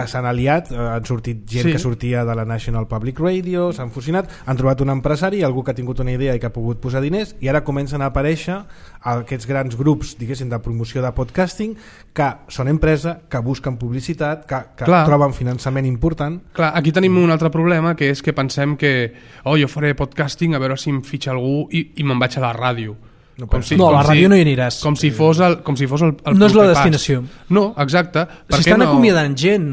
s'han aliat, han sortit gent que sortia de la National Public Radio, s'han fusionat, han trobat un empresari, algú que ha tingut una idea i que ha pogut posar diners, i ara comencen a aparèixer aquests grans grups, diguéssim, de promoció de podcasting, que són empresa, que busquen publicitat, que troben finançament important. Clar, aquí tenim un altre problema, que és que pensem que jo faré podcasting a veure si em fitxa algú i me'n vaig a la ràdio. A la ràdio no hi aniràs. Com si fos el no és la destinació. No, exacte. Si estan acomiadant gent,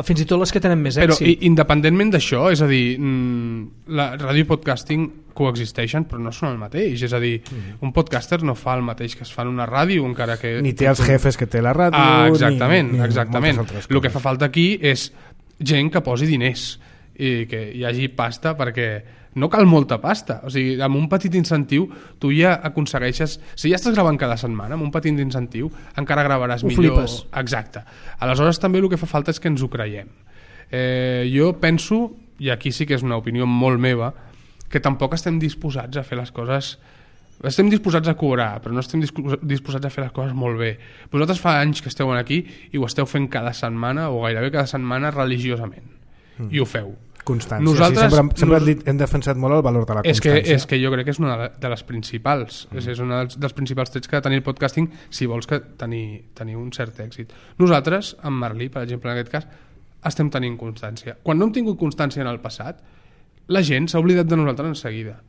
fins i tot les que tenen més èxit. Però independentment d'això, és a dir, la ràdio i podcasting coexisteixen però no són el mateix, és a dir, un podcaster no fa el mateix que es fa en una ràdio, encara que... Ni té els jefes que té la ràdio, exactament. El que fa falta aquí és gent que posi diners i que hi hagi pasta, perquè no cal molta pasta, o sigui, amb un petit incentiu tu ja aconsegueixes, si ja estàs gravant cada setmana, amb un petit incentiu encara gravaràs millor. Flipes. Exacte. Aleshores també el que fa falta és que ens ho creiem. Jo penso, i aquí sí que és una opinió molt meva, que tampoc estem disposats a fer les coses... Estem disposats a cobrar, però no estem disposats a fer les coses molt bé. Vosaltres fa anys que esteu aquí i ho esteu fent cada setmana o gairebé cada setmana religiosament. I ho feu. Constància. Nosaltres, sempre hem defensat molt el valor de la constància. És que jo crec que és una de les principals. És un dels principals trets que ha de tenir el podcasting si vols tenir un cert èxit. Nosaltres, amb Merlí, per exemple, en aquest cas, estem tenint constància. Quan no hem tingut constància en el passat, la gent s'ha oblidat de nosaltres en seguida.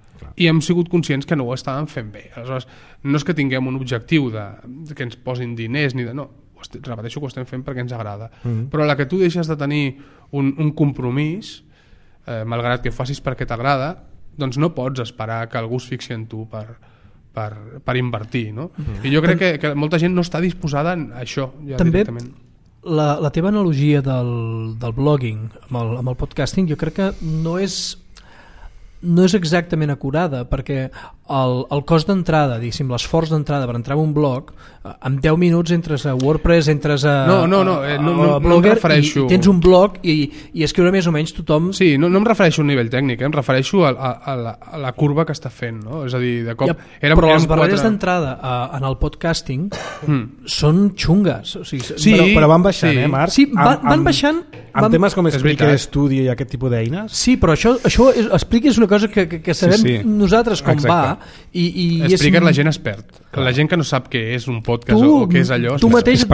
I hem sigut conscients que no ho estàvem fent bé. Aleshores, no és que tinguem un objectiu que ens posin diners ni de... No, repeteixo que ho estem fent perquè ens agrada. Però la que tu deixes de tenir un compromís, malgrat que ho facis perquè t'agrada, doncs no pots esperar que algú es fixi en tu per invertir, no? I jo crec que molta gent no està disposada a això ja també directament. La teva analogia del blogging amb el podcasting jo crec que no és exactament acurada, perquè el cost d'entrada, diguéssim, l'esforç d'entrada per entrar en un blog, en 10 minuts entres a WordPress, entres a Blogger i tens un blog i escriure més o menys tothom... Sí, no em refereixo a un nivell tècnic, em refereixo a la curva que està fent, no? És a dir, de cop... Però les barreres d'entrada en el podcasting són xungues. O sigui, però van baixant, Marc? Sí, van baixant... Amb temes com Spreaker Studio i aquest tipus d'eines? Sí, però això Spreaker és una cosa que sabem nosaltres com va i Spreaker la gent es perd. La gent que no sap què és un podcast o què és allò... Tu mateix et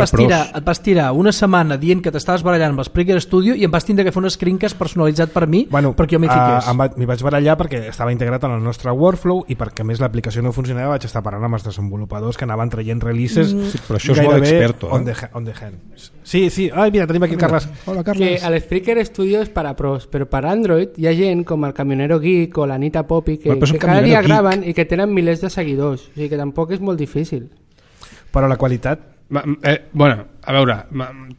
vas tirar una setmana dient que t'estaves barallant amb el Spreaker Studio i em vas tindre que fer un screencast personalitzat per mi perquè jo m'hi fiqués. M'hi vaig barallar perquè estava integrat en el nostre workflow i perquè a més l'aplicació no funcionava, vaig estar parlant amb els desenvolupadors que anaven traient releases però això és molt experto. On the hand. Sí. Ai, mira, tenim aquí el Carles. Hola, Carles. Que el Spreaker Studio és per a pros, però per Android hi ha gent com el Camionero Geek o l'Anita Poppy que cada dia graven i que tenen milers de seguidors. O sigui que tampoc és molt difícil. Però la qualitat... Bueno, a veure,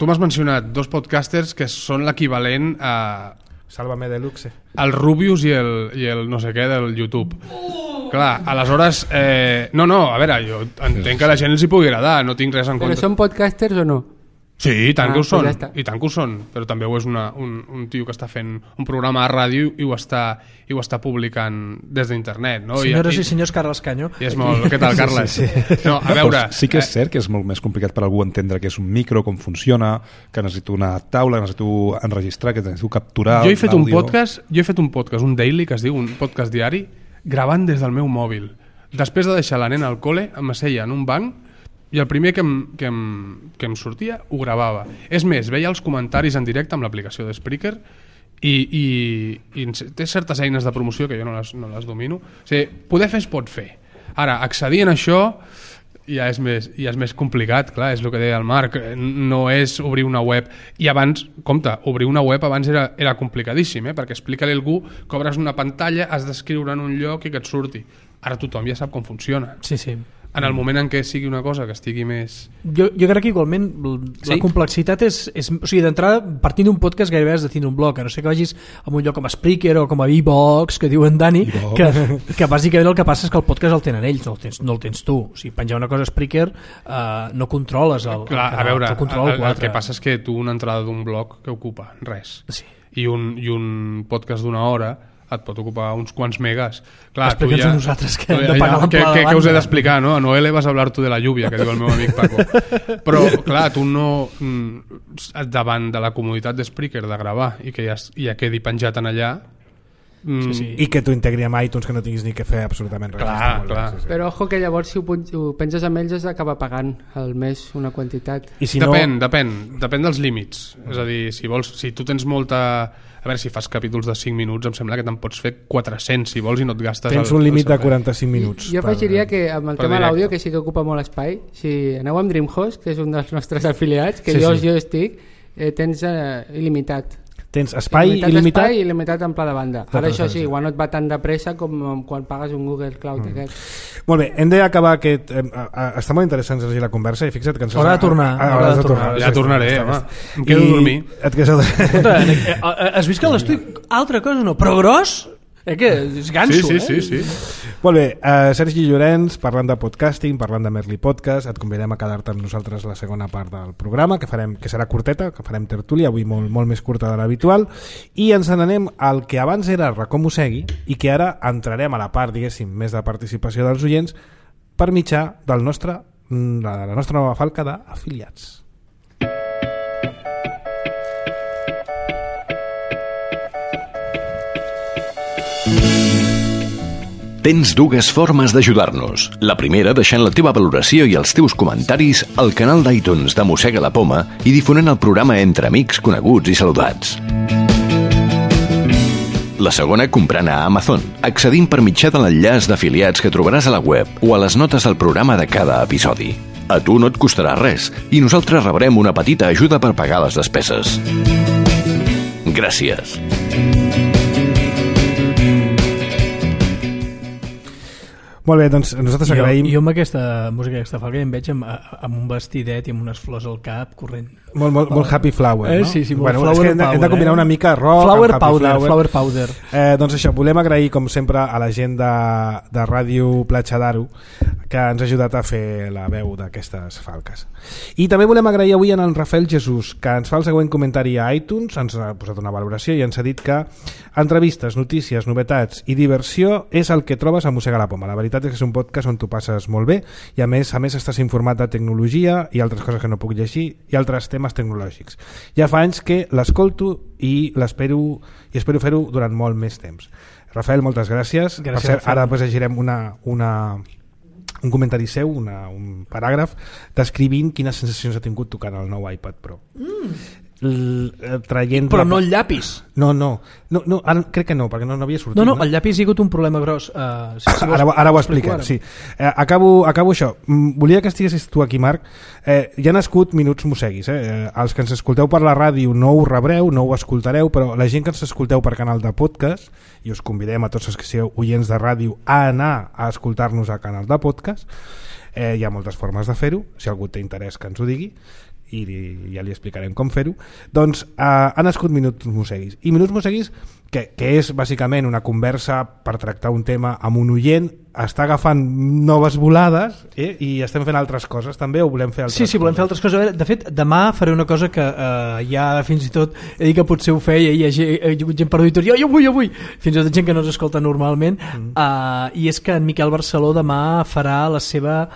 tu m'has mencionat dos podcasters que són l'equivalent a... Sálvame Deluxe. El Rubius i el no sé què del YouTube. Clar, aleshores... No, a veure, jo entenc que a la gent els hi pugui agradar, no tinc res en compte. Però són podcasters o no? Sí, i tant que ho són, ja i tant que ho són, però també ho és un tio que està fent un programa a ràdio i ho està publicant des d'internet, no? Senyores i senyors, Carles Canyo. I és molt... Què tal, Carles? Sí. No, a veure... Sí que és cert que és molt més complicat per algú entendre què és un micro, com funciona, que necessito una taula, que necessito enregistrar, que necessito capturar... Jo he fet un podcast, un daily, que es diu, un podcast diari, gravant des del meu mòbil. Després de deixar la nena al col·le, em asseia en un banc i el primer que em sortia ho gravava. És més, veia els comentaris en directe amb l'aplicació de Spreaker i té certes eines de promoció que jo no les domino. O sigui, poder fer es pot fer. Ara, accedir en això ja és més complicat, clar, és el que deia el Marc, no és obrir una web. I abans, compte, obrir una web abans era complicadíssim, perquè explica-li a algú que obres una pantalla, has d'escriure en un lloc i que et surti. Ara tothom ja sap com funciona. Sí. En el moment en què sigui una cosa que estigui més... Jo crec que igualment la complexitat és... O sigui, d'entrada, partint d'un podcast gairebé has de tindre un blog, a no sé que vagis a un lloc com a Spreaker o com a iVox, que diuen Dani, que bàsicament el que passa és que el podcast el tenen ells, no el tens tu. O sigui, penjar una cosa a Spreaker no controles el Clar, a veure, el que passa és que tu una entrada d'un blog que ocupa res. Sí. I un podcast d'una hora et pot ocupar uns quants megas. Clar, explica'ns a nosaltres que hem de pagar l'amplada de banda. Què us he d'explicar, no? A Noele vas a hablar tu de la lluvia, que diu el meu amic Paco. Però, clar, tu no... davant de la comoditat d'Spreaker de gravar i que ja quedi penjat en allà... Sí. I que t'ho integri amb iTunes, que no tinguis ni que fer absolutament res. Clar. Sí. Però ojo que llavors si ho penges amb ells has d'acabar pagant al mes una quantitat. I si depèn dels límits. És a dir, si tu tens molta... A veure, si fas capítols de 5 minuts em sembla que te'n pots fer 400 si vols i no et gastes... Tens un límit de 45 minuts. Jo afegiria que amb el tema de l'àudio, que sí que ocupa molt espai, si aneu amb DreamHost, que és un dels nostres afiliats, que jo estic, tens il·limitat. Tens espai il·limitat? Espai il·limitat en pla de banda. Ara això sí, igual no et va tan de pressa com quan pagues un Google Cloud aquest. Molt bé, hem d'acabar aquest... Està molt interessant llegir la conversa i fixa't que ens... Haurà de tornar. Ja tornaré, home. Em quedo a dormir. Has vist que l'estudi... Altra cosa no, però gros... que és ganso, sí. Molt bé, Sergi Llorenç, parlant de podcasting, parlant de Merli Podcast, et convidem a quedar-te amb nosaltres la segona part del programa, que serà curteta, que farem tertúlia, avui molt més curta de l'habitual, i ens n'anem al que abans era Racó Mossegui i que ara entrarem a la part, diguéssim, més de participació dels oients per mitjà de la nostra nova falca d'afiliats. Tens dues formes d'ajudar-nos. La primera, deixant la teva valoració i els teus comentaris al canal d'iTunes de Mossega la Poma i difonent el programa entre amics, coneguts i saludats. La segona, comprant a Amazon, accedint per mitjà de l'enllaç d'afiliats que trobaràs a la web o a les notes del programa de cada episodi. A tu no et costarà res i nosaltres rebrem una petita ajuda per pagar les despeses. Gràcies. Molt bé, doncs nosaltres agraïm... Jo amb aquesta música d'aquesta falca em veig amb un vestidet i amb unes flors al cap corrent. Molt happy flower, no? Sí, molt bueno, flower powder. Hem de combinar una mica rock flower amb happy flower powder. Doncs això, volem agrair com sempre a la gent de Ràdio Platja d'Aro que ens ha ajudat a fer la veu d'aquestes falques. I també volem agrair avui en Rafael Jesús, que ens fa el següent comentari a iTunes, ens ha posat una valoració i ens ha dit que entrevistes, notícies, novetats i diversió és el que trobes a Mossega la Poma. La veritat és que és un podcast on tu passes molt bé i a més estàs informat de tecnologia i altres coses que no puc llegir i altres temes tecnològics. Ja fa anys que l'escolto i espero fer-ho durant molt més temps. Rafael, moltes gràcies. Per cert, ara després llegirem un comentari seu, un paràgraf descrivint quines sensacions ha tingut tocant el nou iPad Pro. Però no el llapis. No, ara crec que no, perquè no havia sortit. No, el llapis hi ha hagut un problema gros. Ara ho expliquem, sí. Acabo això. Volia que estiguessis tu aquí, Marc. Ja han nascut Minuts Mosseguis. Els que ens escolteu per la ràdio no ho rebreu, no ho escoltareu, però la gent que ens escolteu per canal de podcast, i us convidem a tots els que sigueu oients de ràdio a anar a escoltar-nos a canal de podcast, hi ha moltes formes de fer-ho, si algú té interès que ens ho digui, i ja li explicarem com fer-ho. Doncs ha nascut Minuts Mosseguis, i Minuts Mosseguis que és bàsicament una conversa per tractar un tema amb un oient, està agafant noves volades i estem fent altres coses també, o volem fer altres coses? Sí, volem fer altres coses. De fet, demà faré una cosa que ja fins i tot he dit que potser ho feia i hi ha gent per Twitter, jo vull, fins i tot gent que no ens escolta normalment, i és que en Miquel Barceló demà farà la seva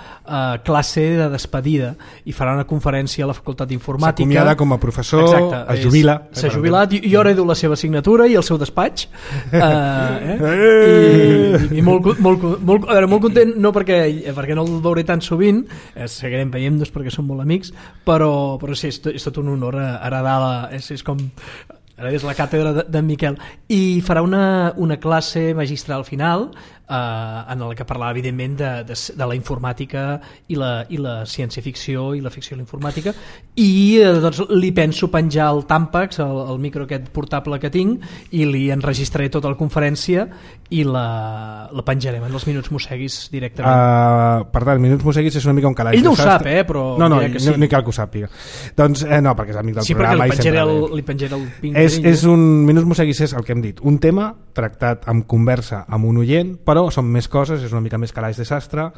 classe de despedida i farà una conferència a la Facultat d'Informàtica. S'acomiada com a professor. Exacte, es jubila. S'ha jubilat i jo heredo la seva signatura i el seu despatx, i molt content, no perquè no el veuré tan sovint, seguirem veient-nos perquè som molt amics, però sí, és tot un honor heredar és com és la càtedra d'en Miquel, i farà una classe magistral final en la que parlarà evidentment de la informàtica i la ciència-ficció i la ficció i la informàtica, i doncs li penso penjar el Tampax, el micro aquest portable que tinc, i li enregistraré tota la conferència i la penjarem en els Minuts Mosseguis directament. Per tant, Minuts Mosseguis és una mica un calaix. Ell no ho sap, però no cal que ho sàpiga. Doncs no, perquè és amic del programa. Sí, perquè li penjaré el ping. Minuts Mosseguis és el que hem dit, un tema tractat amb conversa amb un oient, però són més coses, és una mica més calaix de sastre.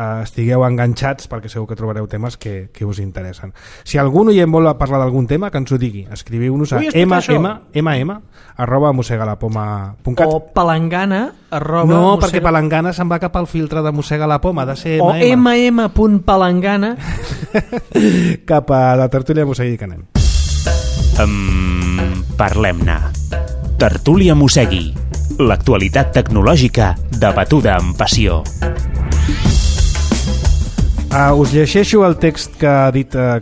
Estigueu enganxats perquè segur que trobareu temes que us interessa. Si algun oient vol parlar d'algun tema, que ens ho digui. Escriviu-nos a mossegalapoma.cat o palangana No, perquè palangana se'n va cap al filtre de Mossega la Poma, ha de ser o mm.palangana cap a la tertúlia Mossegui que anem. Parlem-ne. Tertúlia Mossegui. L'actualitat tecnològica debatuda amb passió. Us llegeixo el text que ha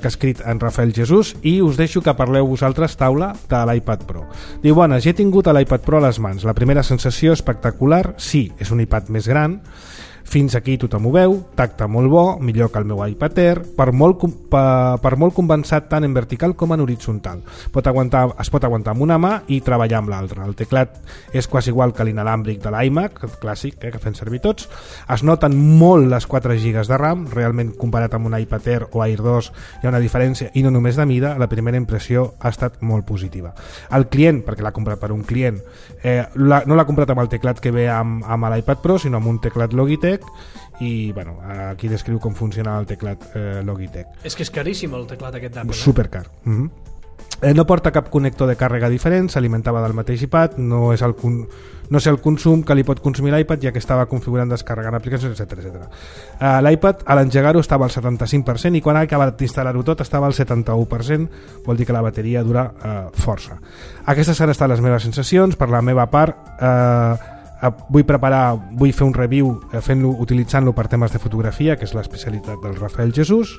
escrit en Rafael Jesús i us deixo que parleu vosaltres, taula, de l'iPad Pro. Diu, bones, ja he tingut l'iPad Pro a les mans. La primera sensació espectacular, sí, és un iPad més gran, fins aquí tothom ho veu, tacte molt bo, millor que el meu iPad Air, per molt compensat tant en vertical com en horitzontal. Es pot aguantar amb una mà i treballar amb l'altra. El teclat és quasi igual que l'inalàmbric de l'iMac, clàssic, que fem servir tots. Es noten molt les 4 GB de RAM, realment comparat amb un iPad Air o Air 2 hi ha una diferència, i no només de mida, la primera impressió ha estat molt positiva. El client, perquè l'ha comprat per un client, no l'ha comprat amb el teclat que ve amb l'iPad Pro, sinó amb un teclat Logitech, i bueno, aquí descriu com funciona el teclat Logitech. És que és caríssim el teclat aquest d'Apple. Supercar. No porta cap connector de càrrega diferent, s'alimentava del mateix iPad, no sé el consum que li pot consumir l'iPad, ja que estava configurant, descarregant aplicacions, etc. L'iPad a l'engegar-ho estava al 75% i quan ha acabat d'instal·lar-ho tot estava al 71%, vol dir que la bateria dura força. Aquestes han estat les meves sensacions. Per la meva part, vull fer un review utilitzant-lo per temes de fotografia, que és l'especialitat del Rafael Jesús,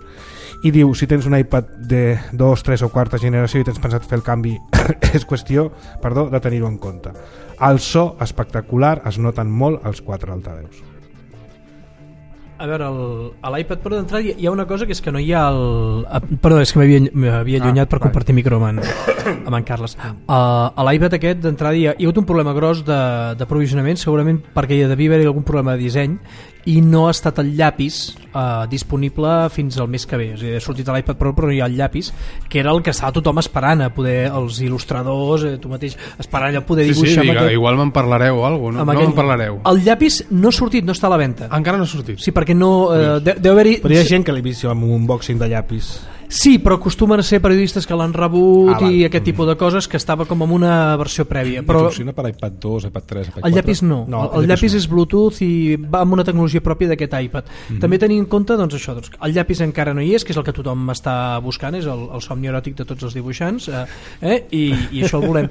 i diu, si tens un iPad de 2, 3 o 4 generació i tens pensat fer el canvi, és qüestió, de tenir-ho en compte. El so espectacular, es noten molt els 4 altaveus. A veure, a l'iPad Pro d'entrada hi ha una cosa que és que no hi ha Perdó, és que m'havia allunyat per compartir micro amb en Carles. A l'iPad aquest d'entrada hi ha hagut un problema gros d'aprovisionament, segurament perquè hi devia haver algun problema de disseny, i no ha estat el llapis disponible fins al mes que ve. És a dir, ha sortit l'iPad Pro però no hi ha el llapis, que era el que estava tothom esperant, a poder els il·lustradors, tu mateix esperant a poder dibuixar. Sí, igual me'n parlareu o alguna cosa, no? No me'n parlareu. El llapis no ha sortit, no està a la venda. Encara no ha sortit? Sí, perquè no... deu haver-hi... Però hi ha gent que l'he vist amb un unboxing de llapis. Sí, però acostumen a ser periodistes que l'han rebut i aquest tipus de coses, que estava com en una versió prèvia. Però funciona per iPad 2, iPad 3, iPad 4? El llapis no. El llapis és Bluetooth i va amb una tecnologia pròpia d'aquest iPad. També tenint en compte doncs, això, doncs, el llapis encara no hi és, que és el que tothom està buscant, és el somni eròtic de tots els dibuixants, i això el volem.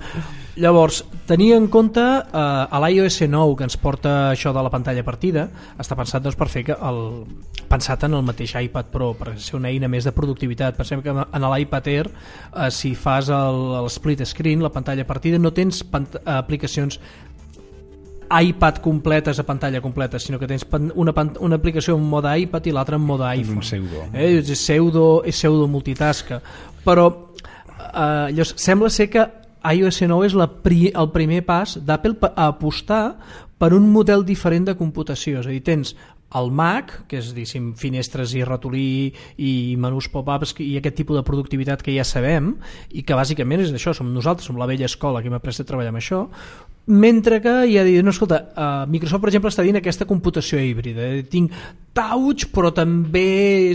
Llavors, tenir en compte a l'iOS 9, que ens porta això de la pantalla partida, està pensat doncs, per fer pensat en el mateix iPad Pro, per ser una eina més de productivitat. Pensem que en l'iPad Air, si fas l'split screen, la pantalla partida, no tens aplicacions iPad completes a pantalla completa, sinó que tens una aplicació en mode iPad i l'altra en mode iPhone. És pseudo multitasca. Però llavors, sembla ser que iOS 9 és el primer pas d'Apple a apostar per un model diferent de computació. És a dir, tens el Mac, que és finestres i ratolí i menús pop-ups i aquest tipus de productivitat que ja sabem i que bàsicament és això, som nosaltres, som la vella escola que hem après a treballar amb això, mentre que ja dic, no, escolta, Microsoft per exemple està dient aquesta computació híbrida, tinc touch però també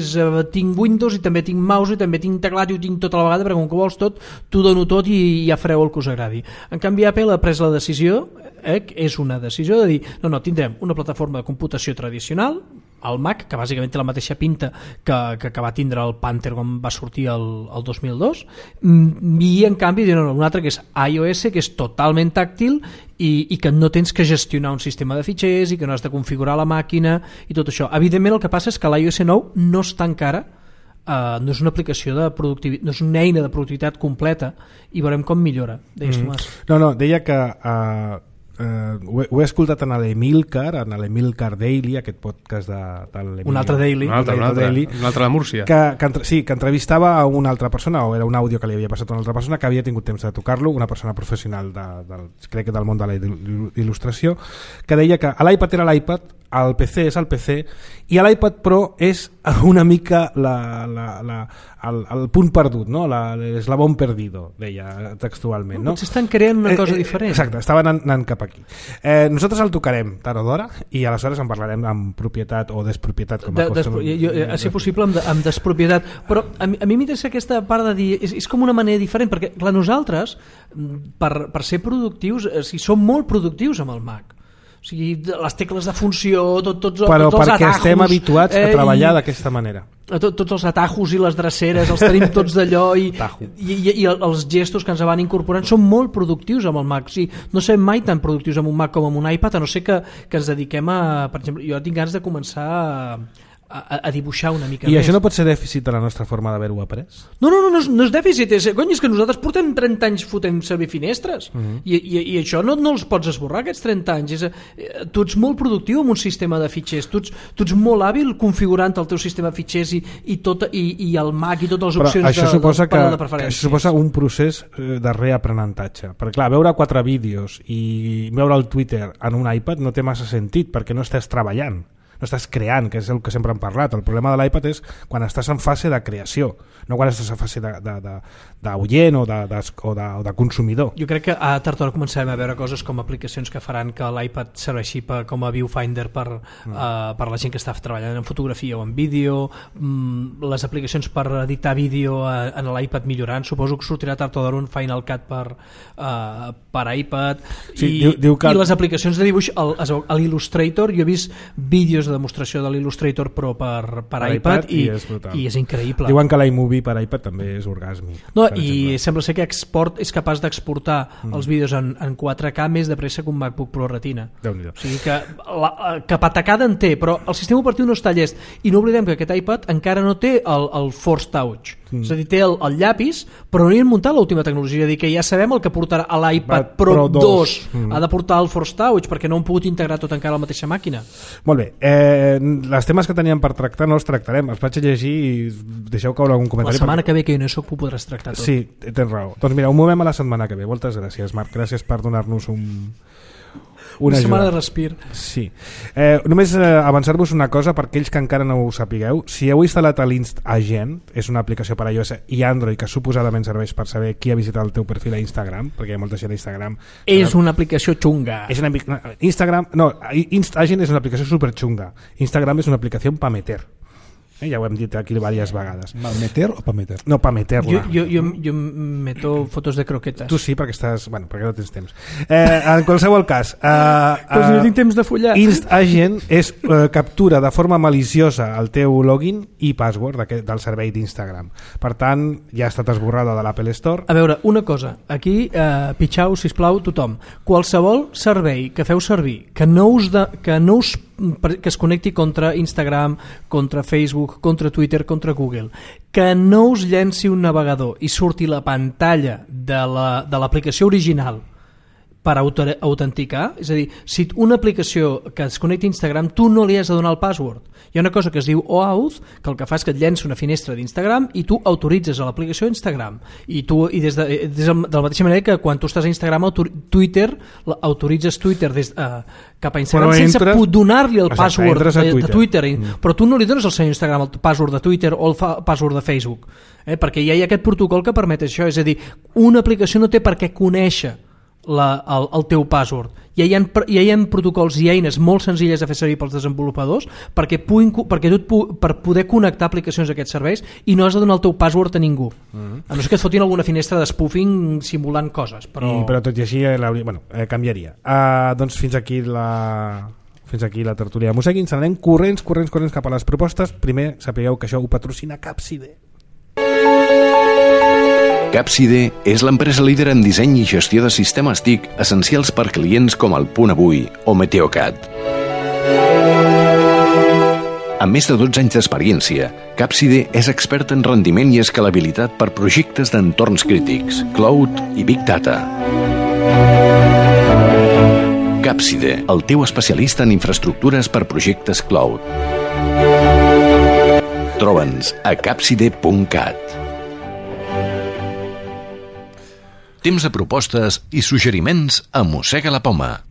tinc Windows i també tinc mouse i també tinc teclat i ho tinc tot a la vegada perquè com que vols tot, t'ho dono tot i ja fareu el que us agradi. En canvi Apple ha pres la decisió, és una decisió de dir, no, tindrem una plataforma de computació tradicional, el Mac, que bàsicament té la mateixa pinta que va tindre el Panther quan va sortir el 2002, i en canvi un altre que és iOS, que és totalment tàctil i que no tens que gestionar un sistema de fitxers i que no has de configurar la màquina i tot això. Evidentment el que passa és que l'iOS 9 no està encara, no és una aplicació de productivitat, no és una eina de productivitat completa i veurem com millora. Deies, Tomàs? No, deia que ho he escoltat en l'Emilcar Daily, aquest podcast de l'Emilcar. Un altre Daily. Un altre de Múrcia. Que entrevistava a una altra persona, o era un àudio que li havia passat a una altra persona que havia tingut temps de tocar-lo, una persona professional crec que del món de la il·lustració, que deia que l'iPad era l'iPad, el PC és el PC i l'iPad Pro és una mica el punt perdut, no? L'eslabón perdido, deia textualment, no? Potser estan creant una cosa diferent. Exacte, estaven anant cap aquí. Nosaltres el tocarem tard o d'hora i aleshores en parlarem amb propietat o despropietat, com a ser possible amb despropietat, però a mi m'interessa aquesta part de dir, és com una manera diferent, perquè clar, nosaltres per ser productius, som molt productius amb el Mac. O sigui, les tecles de funció, tots els atajos... Però perquè estem habituats a treballar d'aquesta manera. Tots els atajos i les dreceres, els tenim tots d'allò i els gestos que ens van incorporant són molt productius amb el Mac. O sigui, no serem mai tan productius amb un Mac com amb un iPad, a no ser que ens dediquem a... Per exemple, jo tinc ganes de començar a dibuixar una mica més. I això no pot ser dèficit de la nostra forma d'haver-ho après? No és dèficit, és que nosaltres portem 30 anys fotent servir finestres i això no els pots esborrar, aquests 30 anys. Tu ets molt productiu amb un sistema de fitxers, tu ets molt hàbil configurant el teu sistema de fitxers i el Mac i totes les opcions de preferència. Això suposa un procés de reaprenentatge, perquè clar, veure 4 vídeos i veure el Twitter en un iPad no té massa sentit perquè no estàs treballant, no estàs creant, que és el que sempre hem parlat. El problema de l'iPad és quan estàs en fase de creació, no quan estàs en fase d'oient o de consumidor. Jo crec que a tard o d'hora començarem a veure coses com aplicacions que faran que l'iPad serveixi com a viewfinder per la gent que està treballant en fotografia o en vídeo, les aplicacions per editar vídeo en l'iPad millorant. Suposo que sortirà tard o d'hora un Final Cut per iPad, i les aplicacions de dibuix a l'Illustrator. Jo he vist vídeos de demostració de l'Illustrator Pro per iPad i és increïble. Diuen que l'iMovie per iPad també és orgàsmic. No, i sembla ser que és capaç d'exportar els vídeos en 4K més de pressa que un MacBook Pro Retina. O sigui que patacada en té, però el sistema operatiu no està llest. I no oblidem que aquest iPad encara no té el Force Touch. És a dir, té el llapis, però no hi han muntat l'última tecnologia. És a dir, que ja sabem el que portarà a l'iPad Pro 2. Ha de portar el Force Touch perquè no han pogut integrar tot encara a la mateixa màquina. Molt bé. Els temes que teníem per tractar no els tractarem. Els vaig a llegir i deixeu caure algun comentari. La setmana que ve, que jo no soc, ho podràs tractar tot. Sí, tens raó. Doncs mira, ho movem a la setmana que ve. Moltes gràcies, Marc. Gràcies per donar-nos Una setmana de respir. Sí. Només avançar-vos una cosa per aquells que encara no ho sapigueu. Si heu instal·lat l'InstAgent, és una aplicació per a iOS i Android que suposadament serveix per saber qui ha visitat el teu perfil a Instagram, perquè hi ha molta gent a Instagram. És una aplicació xunga. InstAgent és una aplicació superxunga. Instagram és una aplicació pa meter. Ja ho hem dit aquí diverses vegades. Malmeter o pa meter? No, pa meter-la. Jo meto fotos de croquetes. Tu sí, perquè estàs... Bueno, perquè no tens temps. En qualsevol cas... Pues no tinc temps de follar. InstAgent captura de forma maliciosa el teu login i password del servei d'Instagram. Per tant, ja ha estat esborrada de l'Apple Store. A veure, una cosa. Aquí, pitjau, sisplau, tothom. Qualsevol servei que feu servir que es connecti contra Instagram, contra Facebook, contra Twitter, contra Google, que no us llenci un navegador i surti la pantalla de l'aplicació original per autenticar, és a dir, si una aplicació que es connecti a Instagram tu no li has de donar el password. Hi ha una cosa que es diu OAuth, que el que fa és que et llença una finestra d'Instagram i tu autoritzes a l'aplicació Instagram. I des de la mateixa manera que quan tu estàs a Instagram, Twitter, autoritzes Twitter cap a Instagram sense donar-li el password de Twitter. Però tu no li dones al senyor Instagram el password de Twitter o el password de Facebook, perquè ja hi ha aquest protocol que permet això. És a dir, una aplicació no té per què conèixer el teu password. Ja hi ha protocols i eines molt senzilles de fer servir pels desenvolupadors per poder connectar aplicacions a aquests serveis i no has de donar el teu password a ningú, a no ser que et fotin alguna finestra de spoofing simulant coses, però tot i així canviaria. Doncs fins aquí la tertúlia de Mussegui. Ens anem corrents cap a les propostes. Primer sapigueu que això ho patrocina Capside. Capside és l'empresa líder en disseny i gestió de sistemes TIC essencials per clients com el Punt Avui o Meteocat. Amb més de 12 anys d'experiència, Capside és expert en rendiment i escalabilitat per projectes d'entorns crítics, cloud i Big Data. Capside, el teu especialista en infraestructures per projectes cloud. Troba'ns a capside.cat. Temps de propostes i suggeriments a Mossega la Poma.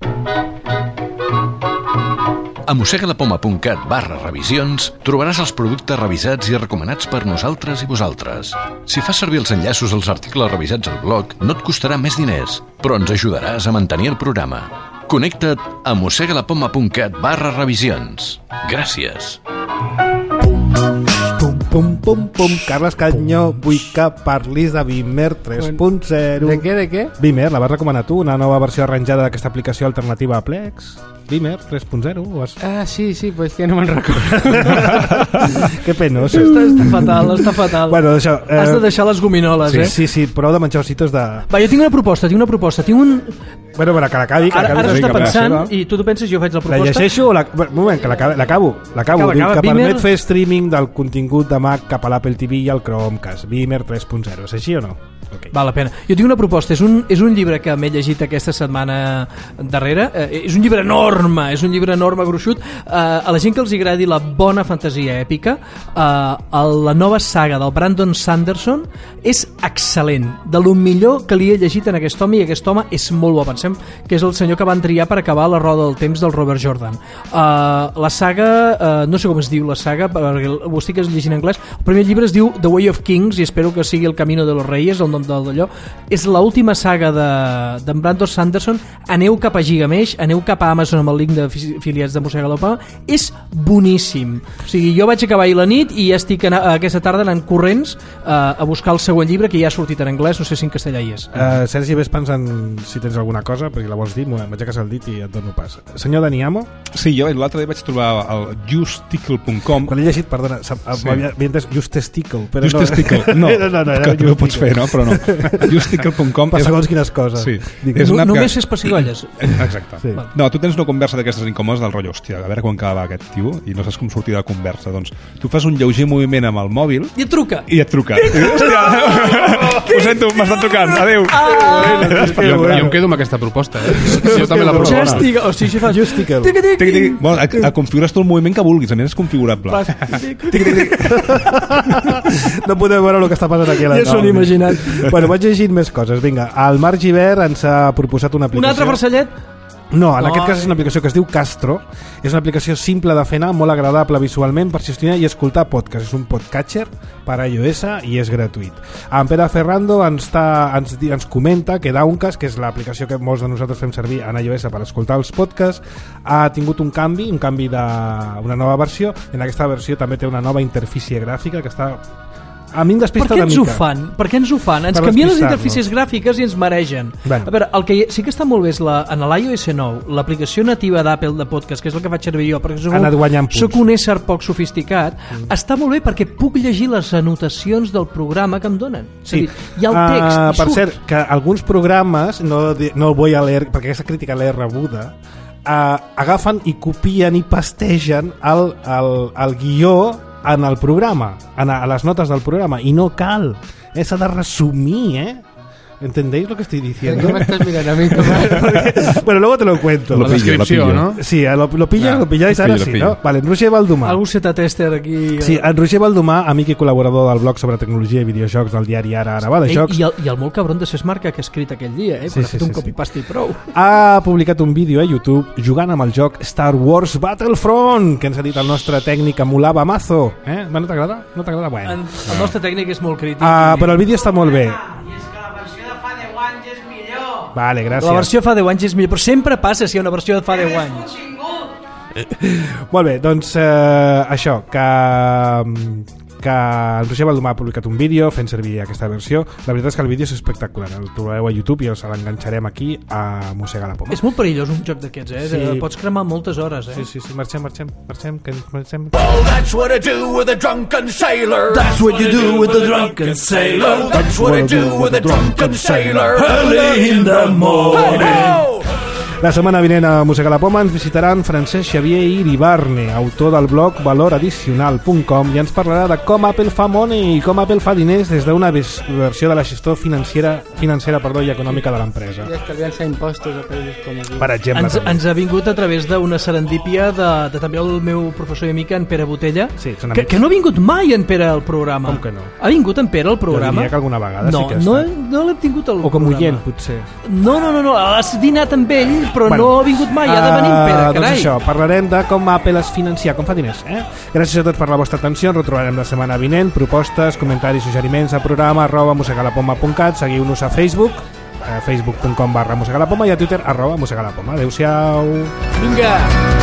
A mossegalapoma.cat/revisions trobaràs els productes revisats i recomanats per nosaltres i vosaltres. Si fas servir els enllaços als articles revisats al blog, no et costarà més diners, però ens ajudaràs a mantenir el programa. Connecta't a mossegalapoma.cat/revisions. Gràcies. Carles Canyó, vull que parlis de Beamer 3.0. De què? Beamer, la vas recomanar tu, una nova versió arranjada d'aquesta aplicació alternativa a Plex. Beamer 3.0. Sí, pues que no me'n recordo. Que penós. Està fatal. Bueno, això, has de deixar les gominoles, Sí, prou de menjar ositos de... Va, jo tinc una proposta. Bueno, que l'acabi. Ara està pensant, i tu penses, jo faig la proposta. La llegeixo o un moment, que l'acabo. Que permet fer streaming del contingut de Mac cap a l'Apple TV i al Chromecast. Beamer 3.0. És així o no? Okay. Val la pena. Jo tinc una proposta. És un llibre que m'he llegit aquesta setmana darrere. És un llibre enorme, gruixut. A la gent que els agradi la bona fantasia èpica, la nova saga del Brandon Sanderson és excel·lent. De lo millor que li he llegit en aquest home, i aquest home és molt bo. Pensem que és el senyor que van triar per acabar La roda del temps del Robert Jordan. La saga, no sé com es diu la saga, perquè ho estic llegint en anglès. El primer llibre es diu The Way of Kings i espero que sigui El camino de los reyes, el nom d'allò. És l'última saga d'en Brandon Sanderson. Aneu cap a Gigamesh, aneu cap a Amazon amb el link d'afiliats de Mossega la Poma. És boníssim. O sigui, jo vaig acabar ahir la nit i ja estic aquesta tarda anant corrents a buscar el següent llibre, que ja ha sortit en anglès, no sé si en castellà hi és. Sergi, ves pensant si tens alguna cosa, perquè la vols dir, m'aixeques el dit i et dono pas. Senyor Daniamo? Sí, jo l'altre dia vaig trobar el justesticle.com. Quan l'he llegit, perdona, m'havia entès justesticle, però justesticle, no, que ho pots fer, no? Però no. Justesticle.com per segons quines coses. Sí. Només fes pessigolles. Exacte. Sí. No, tu tens una conversa d'aquestes incòmodes del rotllo, hòstia, a veure quan acaba aquest tio i no saps com sortir de la conversa. Doncs tu fas un lleuger moviment amb el mòbil i et truca. Hòstia, ho sento, m'estan trucant, adeu. Jo em quedo amb aquesta proposta, jo també la proposo. Configures tu el moviment que vulguis, a més és configurable. No podem veure el que està passant aquí a la taula. Ja s'ho han imaginat. Bueno, vaig llegint més coses. Vinga, el Marc Givert ens ha proposat una aplicació. Un altre farcellet? No, en aquest cas és una aplicació que es diu Castro. És una aplicació simple de fer anar, molt agradable visualment per gestionar i escoltar podcast. És un podcatcher per a iOS i és gratuït. En Pere Ferrando ens comenta que Downcast, que és l'aplicació que molts de nosaltres fem servir en iOS per escoltar els podcasts, ha tingut un canvi d'una nova versió. En aquesta versió també té una nova interfície gràfica que està... A mi em despista una mica. Per què ens ho fan? Ens canvien les interfícies gràfiques i ens maregen. A veure, el que sí que està molt bé és en l'iOS 9, l'aplicació nativa d'Apple de podcast, que és el que faig servir jo, perquè soc un ésser poc sofisticat, està molt bé perquè puc llegir les anotacions del programa que em donen. Sí. Hi ha el text. Per cert, que alguns programes, no el vull a leer, perquè aquesta crítica l'he rebuda, agafen i copien i pastegen el guió en el programa, a les notes del programa, i no cal, s'ha de resumir, ¿Entendéis lo que estoy diciendo? ¿Qué me estás mirando a mí, Bueno, luego te lo cuento. La descripció, ¿no? Sí, lo pilláis ara, sí, no? Vale, en Roger Baldomà. Algú tester aquí. Sí, en Roger Baldomà, amic i col·laborador del blog sobre tecnologia i videojocs del diari Ara va de jocs. I el molt cabron de Sesmarca que ha escrit aquell dia, quan ha fet un copy-paste i prou. Ha publicat un vídeo a YouTube jugant amb el joc Star Wars Battlefront, que ens ha dit el nostre tècnic Amulava Mazo. No t'agrada? No t'agrada? Bueno. El nostre tècnic és molt crític. Però el vídeo està molt bé. Vale, gràcies. La versió fa 10 anys és millor, però sempre passa si hi ha una versió de fa 10 anys. Molt bé, doncs això, que en Roger Baldomà ha publicat un vídeo fent servir aquesta versió. La veritat és que el vídeo és espectacular, el trobeu a YouTube i us l'enganxarem aquí a Mossegar la Poma. És molt perillós un joc d'aquests, Sí. Pots cremar moltes hores, Sí, marxem, que ens marxem. Well, that's what I do with a drunken sailor. That's what you do with a drunken sailor. That's what I do with a drunken sailor. Early in the morning. La setmana vinent a Mossegar la Poma ens visitaran Francesc Xavier Iribarne, autor del blog valoraddicional.com, i ens parlarà de com Apple fa money i com Apple fa diners des d'una versió de la gestió financera i econòmica de l'empresa. I estalviar-se impostos a països com aquí. Per exemple. Ens ha vingut a través d'una serendípia de també el meu professor i amic, en Pere Botella, que no ha vingut mai en Pere al programa. Com que no? Ha vingut en Pere al programa? Jo diria que alguna vegada sí que no l'hem tingut al programa. O com oient, potser. No, has dinat amb ell, però no ha vingut mai, ha de venir en Pere, carai. Doncs això, parlarem de com Apple es financia, com fa diners. Gràcies a tots per la vostra atenció, ens retrobarem la setmana vinent. Propostes, comentaris, suggeriments a programa @mossegalapoma.cat. Seguiu-nos a Facebook, facebook.com/mossegalapoma, i a Twitter @mossegalapoma. Adéu-siau. Vinga!